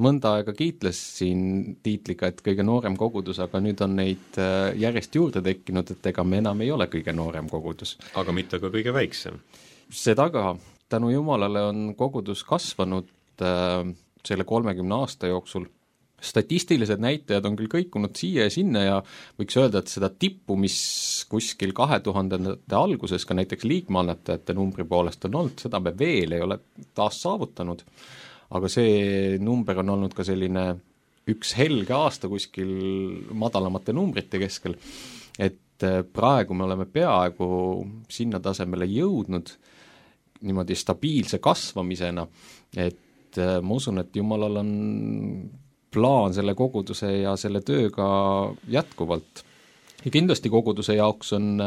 mõnda aega kiitles siin tiitliga, et kõige noorem kogudus, aga nüüd on neid järjest juurde tekkinud, et ega me enam ei ole kõige noorem kogudus. Aga mitte ka kõige väiksem. Seda ka. Tänu Jumalale on kogudus kasvanud selle kolmekümne aasta jooksul. Statistilised näitajad on küll kõikunud siia ja sinna ja võiks öelda, et seda tippu, mis kuskil kahe tuhandete alguses ka näiteks liikmeannetajate numbri poolest on olnud, seda me veel ei ole taas saavutanud. Aga see number on olnud ka selline üks helge aasta kuskil madalamate numbrite keskel, et praegu me oleme peaaegu sinna tasemele jõudnud niimoodi stabiilse kasvamisena, et ma usun, et Jumalal on plaan selle koguduse ja selle tööga jätkuvalt. Ja kindlasti koguduse jaoks on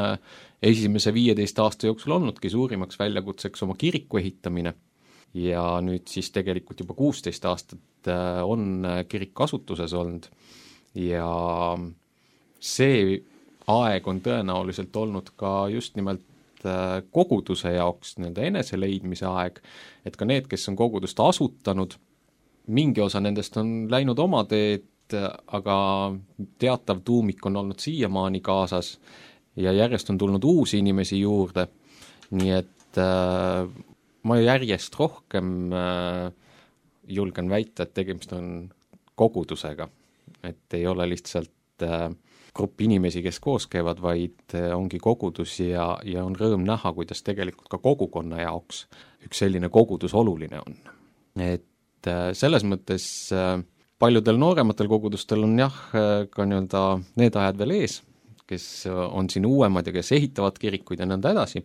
esimese viieteist aasta jooksul olnudki suurimaks väljakutseks oma kiriku ehitamine ja nüüd siis tegelikult juba kuusteist aastat on kirik kasutuses olnud ja see aeg on tõenäoliselt olnud ka just nimelt koguduse jaoks nii-öelda eneseleidmise aeg, et ka need, kes on kogudust asutanud, mingi osa nendest on läinud oma teed aga teatav tuumik on olnud siiamaani kaasas ja järjest on tulnud uusi inimesi juurde, nii et äh, ma järjest rohkem äh, julgen väita, et tegemist on kogudusega, et ei ole lihtsalt äh, grupp inimesi, kes koos käivad, vaid ongi kogudus ja, ja on rõõm näha, kuidas tegelikult ka kogukonna jaoks üks selline kogudus oluline on. Et selles mõttes paljudel noorematel kogudustel on jah, ka nii-öelda need ajad veel ees, kes on siin uuemad ja kes ehitavad kirikuid ja nõnda edasi,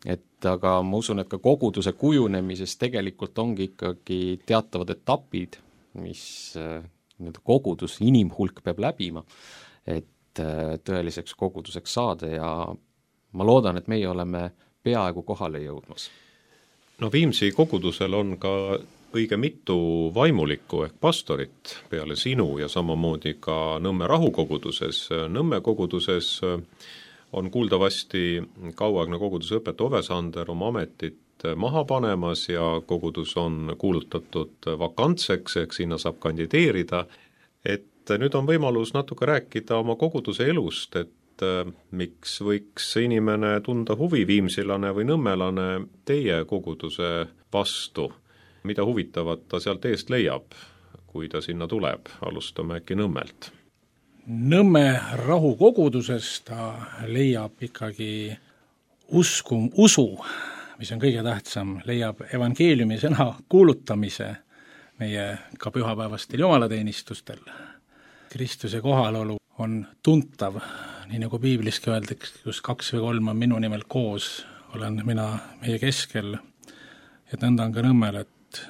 et aga ma usun, et ka koguduse kujunemises tegelikult ongi ikkagi teatavad etapid, mis nii-öelda kogudus, inimhulk peab läbima, et tõeliseks koguduseks saada ja ma loodan, et meie oleme peaaegu kohale jõudmas. No Viimsi kogudusel on ka õige mitu vaimulikku ehk pastorit peale sinu ja samamoodi ka Nõmme rahukoguduses. Nõmme koguduses on kuuldavasti kauaaegne koguduse õpetaja Ove Sander oma ametit maha panemas ja kogudus on kuulutatud vakantseks, ehk sinna saab kandideerida, et nüüd on võimalus natuke rääkida oma koguduse elust, et äh, miks võiks inimene tunda huvi, viimsilane või nõmmelane, teie koguduse vastu, mida huvitavat ta sealt eest leiab, kui ta sinna tuleb, alustame äkki Nõmmelt. Nõmme rahukoguduses ta leiab ikkagi usku, usu, mis on kõige tähtsam, leiab evangeeliumi sõna kuulutamise meie ka pühapäevastel jumalateenistustel. Kristuse kohalolu on tuntav, nii nagu piibliski öeldakse, kus kaks või kolm on minu nimel koos, olen mina meie keskel, et nõnda on ka Nõmmel, et,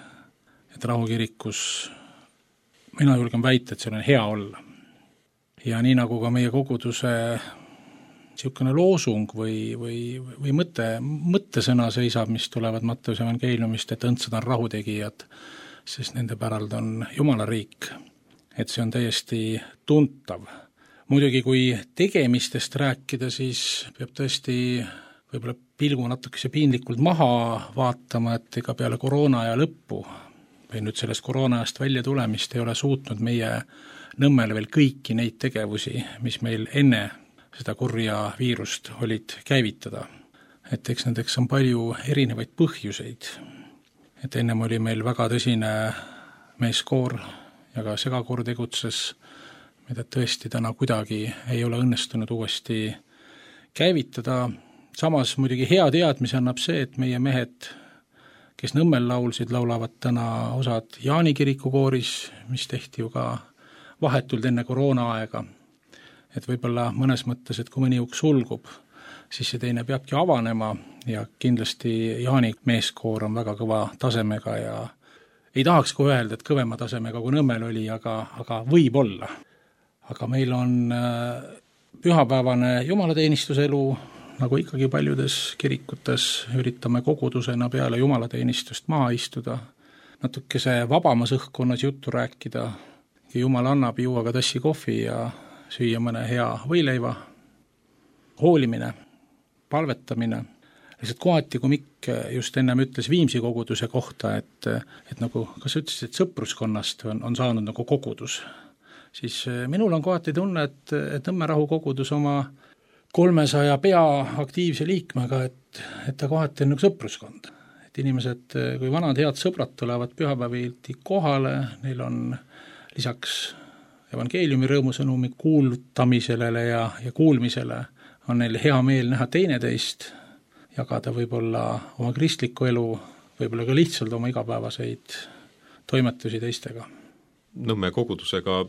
et rahukirikus mina julgen väita, et seal on hea olla. Ja nii nagu ka meie koguduse niisugune loosung või, või, või mõte, mõttesõna seisab, mis tulevad Matteuse evangeeliumist, et õndsad on rahutegijad, sest nende päralt on Jumala riik. Et see on täiesti tuntav. Muidugi, kui tegemistest rääkida, siis peab tõesti võib-olla pilgu natukese piinlikult maha vaatama, et ega peale koroona aja lõppu või nüüd sellest koroona ajast välja tulemist ei ole suutnud meie Nõmmel veel kõiki neid tegevusi, mis meil enne seda kurja viirust olid käivitada. Et eks nendeks on palju erinevaid põhjuseid. Et ennem oli meil väga tõsine meeskoor ja ka segakoor tegutses, mida tõesti täna kuidagi ei ole õnnestunud uuesti käivitada. Samas muidugi hea teadmise annab see, et meie mehed, kes Nõmmel laulsid, laulavad täna osad Jaani kirikukooris, mis tehti ju ka vahetult enne koroona aega. Et võib-olla mõnes mõttes, et kui mõni uks sulgub, siis see teine peabki avanema ja kindlasti Jaani meeskoor on väga kõva tasemega ja ei tahaks kui öelda, et kõvema tasemega kui Nõmmel oli, aga, aga võib olla. Aga meil on pühapäevane jumalateenistuse elu, nagu ikkagi paljudes kirikutes üritame kogudusena peale jumalateenistust maha istuda, natukese vabamas õhkkonnas juttu rääkida, Jumal annab juua ka tassi kohvi ja süüa mõne hea võileiva, hoolimine, palvetamine. Lihtsalt kohati, kui Mikk just ennem ütles Viimsi koguduse kohta, et, et nagu, kas ütlesid, et sõpruskonnast on, on saanud nagu kogudus, siis minul on kohati tunne, et, et Nõmme rahukogudus oma kolmesaja pea aktiivse liikmega, et, et ta kohati on nagu sõpruskond. Et inimesed, kui vanad head sõbrad tulevad pühapäevilti kohale, neil on lisaks evangeeliumi rõõmusõnumi kuulutamisele ja, ja kuulmisele on neil hea meel näha teineteist, jagada võib-olla oma kristlikku elu, võib-olla ka lihtsalt oma igapäevaseid toimetusi teistega. Nõmme kogudusega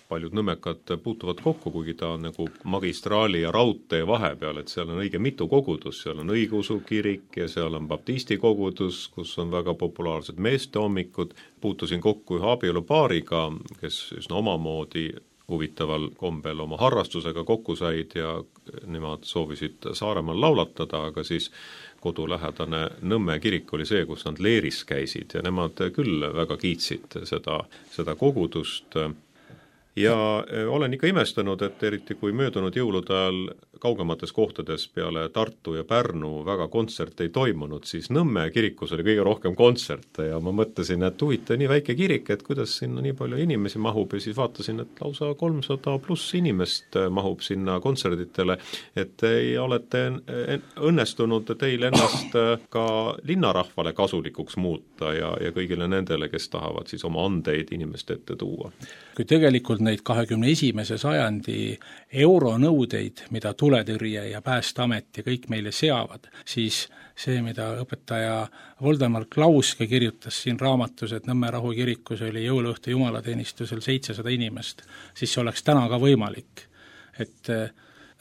paljud nõmmekad puutuvad kokku, kuigi ta on nagu magistraali ja raudtee vahepeal, et seal on õige mitu kogudus, seal on õigeusu kirik ja seal on baptisti kogudus, kus on väga populaarsed meestehommikud. Puutusin kokku ühe abielupaariga, kes üsna omamoodi huvitaval kombel oma harrastusega kokku said ja nemad soovisid Saaremaal laulatada, aga siis kodulähedane Nõmme kirik oli see, kus nad leeris käisid ja nemad küll väga kiitsid seda, seda kogudust. Ja olen ikka imestanud, et eriti kui möödunud jõulude ajal kaugemates kohtades peale Tartu ja Pärnu väga kontsert ei toimunud, siis Nõmme kirikus oli kõige rohkem kontserte ja ma mõtlesin, et huvitav, nii väike kirik, et kuidas sinna nii palju inimesi mahub ja siis vaatasin, et lausa kolmsada pluss inimest mahub sinna kontserditele, et ei olete õnnestunud teil ennast ka linnarahvale kasulikuks muuta ja, ja kõigile nendele, kes tahavad siis oma andeid inimeste ette tuua. Kui tegelikult neid kahekümne esimese sajandi euronõudeid, mida tuletõrje ja Päästeamet ja kõik meile seavad, siis see, mida õpetaja Voldemar Klauske kirjutas siin raamatus, et Nõmme Rahu kirikus oli jõuluõhtu jumalateenistusel seitsesada inimest, siis see oleks täna ka võimalik. Et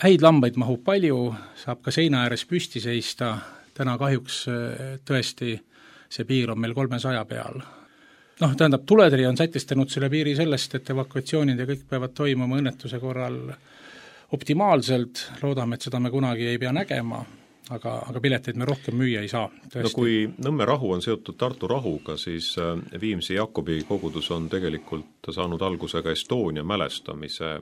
häid lambaid mahub palju, saab ka seina ääres püsti seista, täna kahjuks tõesti see piir on meil kolmesaja peal. Noh, tähendab, tuletõrje on sätistanud selle piiri sellest, et evakuatsioonid ja kõik peavad toimuma õnnetuse korral optimaalselt, loodame, et seda me kunagi ei pea nägema, aga, aga pileteid me rohkem müüa ei saa. Tõesti. No kui Nõmme rahu on seotud Tartu rahuga, siis Viimsi Jakobi kogudus on tegelikult saanud alguse ka Estonia mälestamise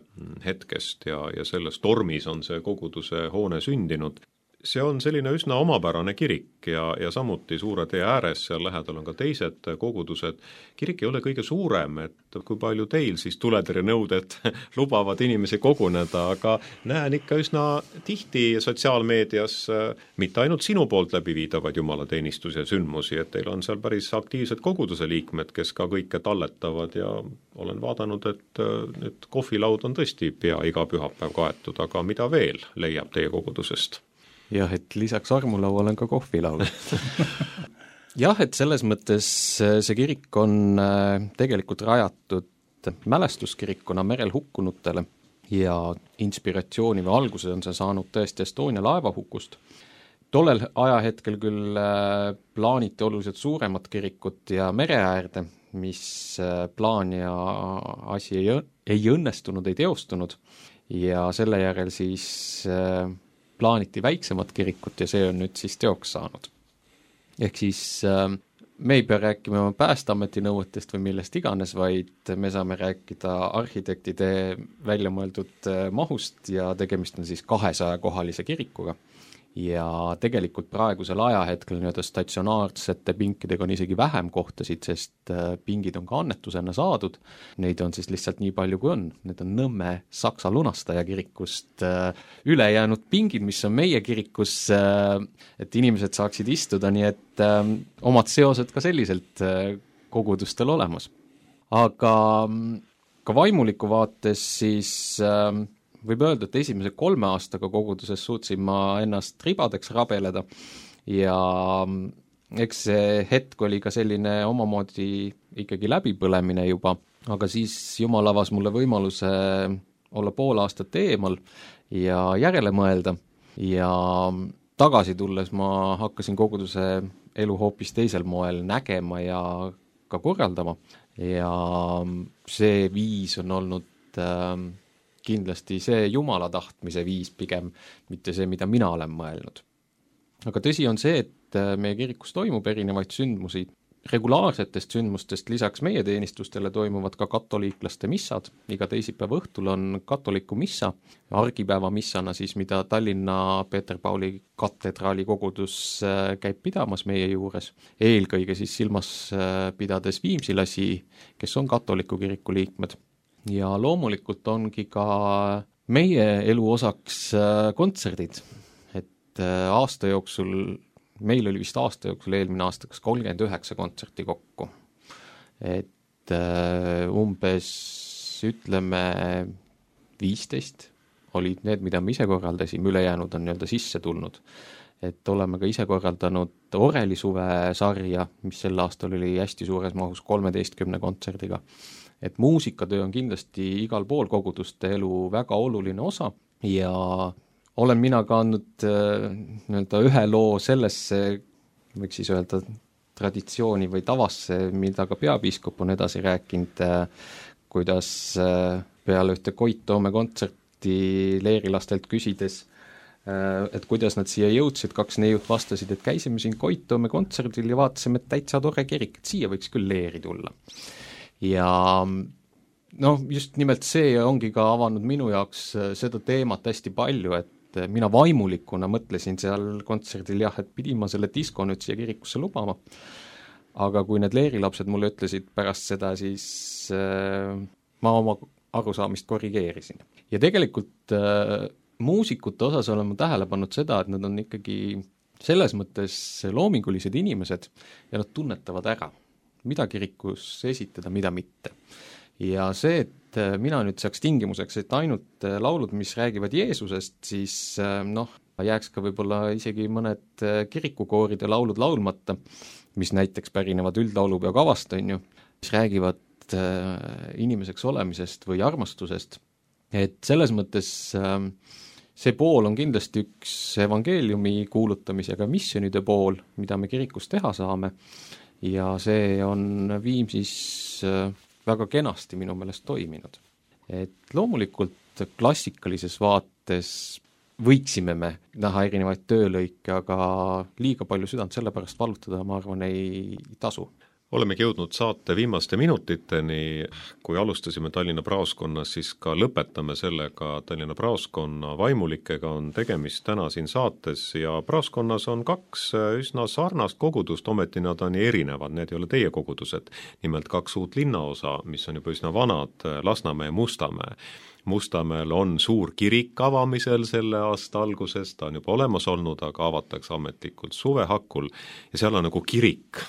hetkest ja, ja selles tormis on see koguduse hoone sündinud. See on selline üsna omapärane kirik ja, ja samuti Suure tee ääres, seal lähedal on ka teised kogudused. Kirik ei ole kõige suurem, et kui palju teil siis tuletõrjenõuded lubavad inimesi koguneda, aga näen ikka üsna tihti sotsiaalmeedias mitte ainult sinu poolt läbi viidavad jumalateenistus ja sündmusi, et teil on seal päris aktiivsed koguduse liikmed, kes ka kõike talletavad ja olen vaadanud, et nüüd kohvilaud on tõesti pea iga pühapäev kaetud, aga mida veel leiab teie kogudusest? Jah, et lisaks armulaual on ka kohvilaul. Jah, et selles mõttes see kirik on tegelikult rajatud mälestuskirikuna merel hukkunutele ja inspiratsiooni või alguse on see saanud tõesti Estonia laevahukust. Tollel ajahetkel küll plaaniti oluliselt suuremat kirikut ja mereäärde, mis plaan ja asi ei, ei õnnestunud, ei teostunud ja selle järel siis plaaniti väiksemat kirikut ja see on nüüd siis teoks saanud. Ehk siis äh, me ei pea rääkima Päästeameti nõuetest või millest iganes, vaid me saame rääkida arhitektide välja mõeldud mahust ja tegemist on siis kahesaja kohalise kirikuga. Ja tegelikult praegusel ajahetkel nii-öelda statsionaarsete pinkidega on isegi vähem kohtasid, sest pingid on ka annetusena saadud. Neid on siis lihtsalt nii palju kui on. Need on Nõmme Saksa lunastaja kirikust ülejäänud pingid, mis on meie kirikus, et inimesed saaksid istuda, nii et omad seosed ka selliselt kogudustel olemas. Aga ka vaimuliku vaates siis võib öelda, et esimese kolme aastaga koguduses suutsin ma ennast ribadeks rabeleda ja eks see hetk oli ka selline omamoodi ikkagi läbipõlemine juba, aga siis Jumal avas mulle võimaluse olla pool aastat eemal ja järele mõelda ja tagasi tulles ma hakkasin koguduse elu hoopis teisel moel nägema ja ka korraldama ja see viis on olnud äh, kindlasti see Jumala tahtmise viis pigem, mitte see, mida mina olen mõelnud. Aga tõsi on see, et meie kirikus toimub erinevaid sündmusi. Regulaarsetest sündmustest lisaks meie teenistustele toimuvad ka katoliiklaste missad. Iga teisipäeva õhtul on katoliku missa, argipäeva missana siis, mida Tallinna Peeter Pauli katedraali kogudus käib pidamas meie juures. Eelkõige siis silmas pidades viimsilasi, kes on katoliku kiriku liikmed. Ja loomulikult ongi ka meie elu osaks kontserdid, et aasta jooksul, meil oli vist aasta jooksul eelmine aasta kas kolmkümmend üheksa kontserti kokku, et umbes ütleme viisteist olid need, mida me ise korraldasime, ülejäänud on nii-öelda sisse tulnud. Et oleme ka ise korraldanud Orelisuve sarja, mis sel aastal oli hästi suures mahus kolmeteistkümne kontserdiga. Et muusikatöö on kindlasti igal pool koguduste elu väga oluline osa ja olen mina ka andnud nii-öelda ühe loo sellesse, võiks siis öelda traditsiooni või tavasse, mida ka peapiiskop on edasi rääkinud, kuidas peale ühte Koit Toome kontserti leerilastelt küsides, et kuidas nad siia jõudsid, kaks neiut vastasid, et käisime siin Koit Toome kontserdil ja vaatasime, et täitsa tore kirik, et siia võiks küll leeri tulla. Ja noh, just nimelt see ongi ka avanud minu jaoks seda teemat hästi palju, et et mina vaimulikuna mõtlesin seal kontserdil jah, et pidin ma selle disko nüüd siia kirikusse lubama, aga kui need leerilapsed mulle ütlesid pärast seda, siis äh, ma oma arusaamist korrigeerisin. Ja tegelikult äh, muusikute osas olen ma tähele pannud seda, et nad on ikkagi selles mõttes loomingulised inimesed ja nad tunnetavad ära, mida kirikus esitada, mida mitte. Ja see, et mina nüüd saaks tingimuseks, et ainult laulud, mis räägivad Jeesusest, siis noh, jääks ka võib-olla isegi mõned kirikukooride laulud laulmata, mis näiteks pärinevad üldlaulupeo kavast, on ju, mis räägivad inimeseks olemisest või armastusest. Et selles mõttes see pool on kindlasti üks evangeeliumi kuulutamisega missionide pool, mida me kirikus teha saame, ja see on Viimsis väga kenasti minu meelest toiminud. Et loomulikult klassikalises vaates võiksime me näha erinevaid töölõike, aga liiga palju südant selle pärast valutada, ma arvan, ei tasu. Olemegi jõudnud saate viimaste minutiteni, kui alustasime Tallinna Praoskonnas, siis ka lõpetame sellega. Tallinna Praoskonna vaimulikega on tegemist täna siin saates ja Praoskonnas on kaks üsna sarnast kogudust, ometi nad on erinevad, need ei ole teie kogudused. Nimelt kaks uut linnaosa, mis on juba üsna vanad, Lasnamäe ja Mustamäe. Mustamäel on suur kirik avamisel selle aasta alguses, ta on juba olemas olnud, aga avatakse ametlikult suve hakul ja seal on nagu kirik,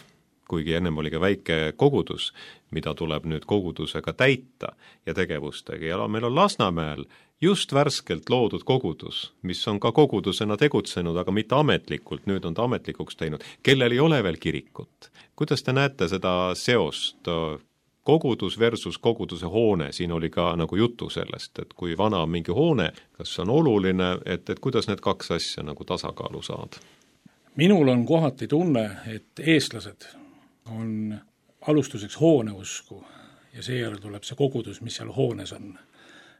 kuigi ennem oli ka väike kogudus, mida tuleb nüüd kogudusega täita ja tegevustega. Ja meil on Lasnamäel just värskelt loodud kogudus, mis on ka kogudusena tegutsenud, aga mitte ametlikult, nüüd on ta ametlikuks teinud, kellel ei ole veel kirikut. Kuidas te näete seda seost kogudus versus koguduse hoone? Siin oli ka nagu jutu sellest, et kui vana on mingi hoone, kas see on oluline, et, et kuidas need kaks asja nagu tasakaalu saada? Minul on kohati tunne, et eestlased on alustuseks hooneusku ja seejärel tuleb see kogudus, mis seal hoones on.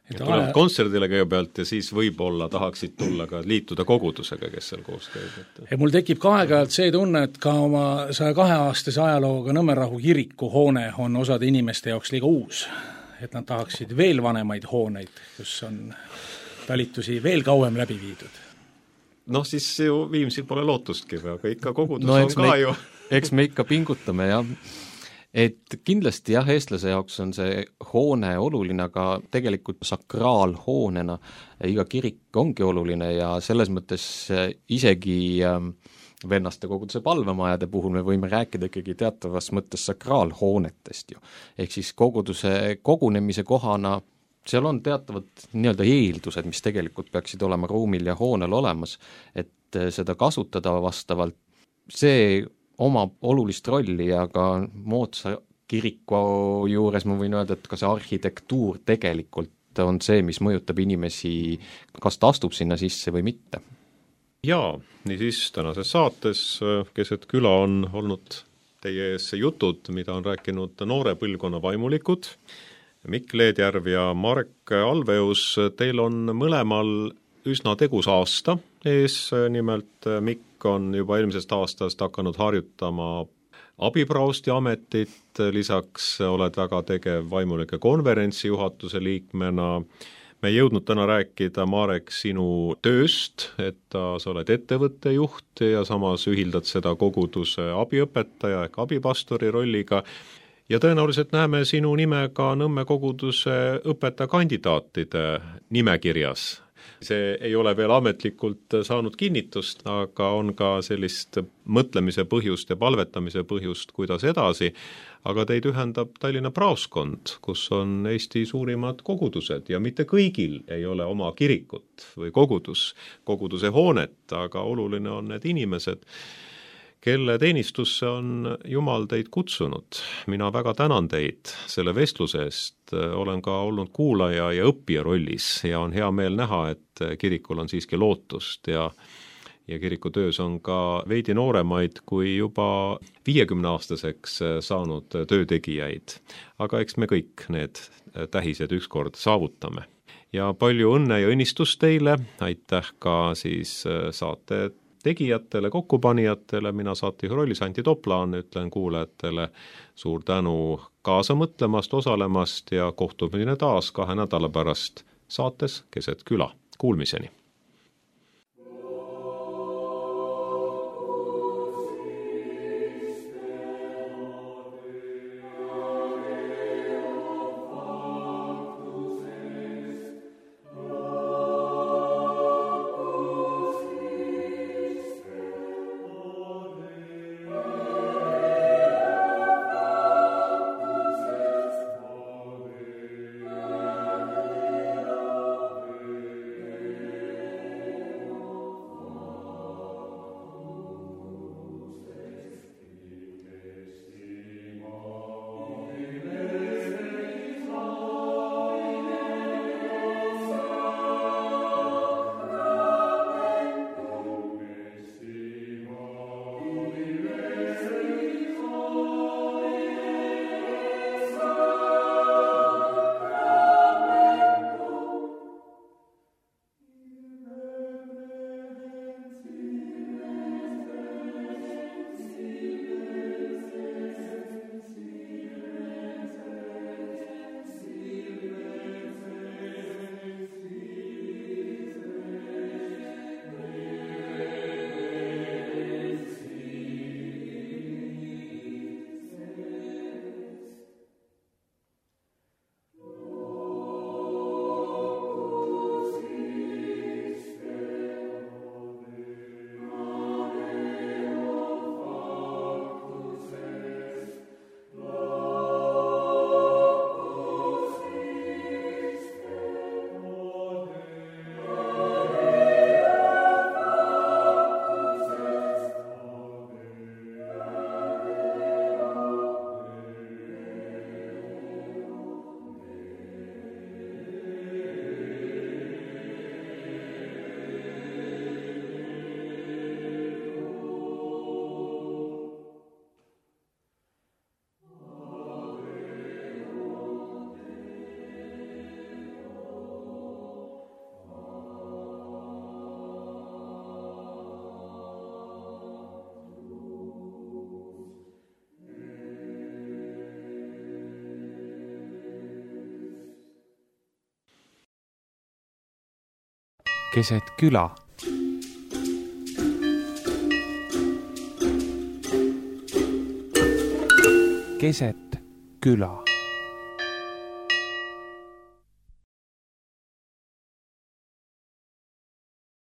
Et tulevad aja... kontserdile kõigepealt ja siis võib-olla tahaksid tulla ka liituda kogudusega, kes seal koos käib. Ja mul tekib ka aeg-ajalt see tunne, et ka oma saja kahe aastase ajalooga Nõmmerahu kiriku hoone on osade inimeste jaoks liiga uus. Et nad tahaksid veel vanemaid hooneid, kus on talitusi veel kauem läbi viidud. Noh, siis ju Viimsil pole lootustki, aga ikka kogudus no, on ka me, ju. Eks me ikka pingutame, jah. Et kindlasti jah, eestlase jaoks on see hoone oluline, aga tegelikult sakraalhoonena iga kirik ongi oluline ja selles mõttes isegi vennaste koguduse palvemajade puhul me võime rääkida ikkagi teatavas mõttes sakraalhoonetest ju. Ehk siis koguduse kogunemise kohana seal on teatavad nii-öelda eeldused, mis tegelikult peaksid olema ruumil ja hoonel olemas, et seda kasutada vastavalt. See omab olulist rolli ja ka moodsa kiriku juures ma võin öelda, et ka see arhitektuur tegelikult on see, mis mõjutab inimesi, kas ta astub sinna sisse või mitte. Jaa, nii siis tänases saates keset küla on olnud teie ees jutud, mida on rääkinud noore põlvkonna vaimulikud. Mikk Leedjärv ja Marek Alveus, teil on mõlemal üsna tegus aasta ees, nimelt Mikk on juba eelmisest aastast hakanud harjutama abipraosti ametit, lisaks oled väga tegev vaimulike konverentsi juhatuse liikmena. Me ei jõudnud täna rääkida, Marek, sinu tööst, et sa oled ettevõtte juht ja samas ühildad seda koguduse abiõpetaja ehk abipastori rolliga. Ja tõenäoliselt näeme sinu nime ka Nõmme koguduse õpetajakandidaatide nimekirjas. See ei ole veel ametlikult saanud kinnitust, aga on ka sellist mõtlemise põhjust ja palvetamise põhjust, kuidas edasi. Aga teid ühendab Tallinna Praoskond, kus on Eesti suurimad kogudused ja mitte kõigil ei ole oma kirikut või kogudus, koguduse hoonet, aga oluline on need inimesed, kelle teenistusse on Jumal teid kutsunud. Mina väga tänan teid selle vestluse eest, olen ka olnud kuulaja ja õppija rollis ja on hea meel näha, et kirikul on siiski lootust ja, ja kiriku töös on ka veidi nooremaid kui juba viiekümne aastaseks saanud töötegijaid. Aga eks me kõik need tähised ükskord saavutame. Ja palju õnne ja õnnistust teile, aitäh ka siis saate tegijatele, kokkupanijatele, mina saatejuhi rollis Anti Toplaan, ütlen kuulajatele suur tänu kaasa mõtlemast, osalemast ja kohtumine taas kahe nädala pärast saates Keset küla. Kuulmiseni! keset küla. Keset küla.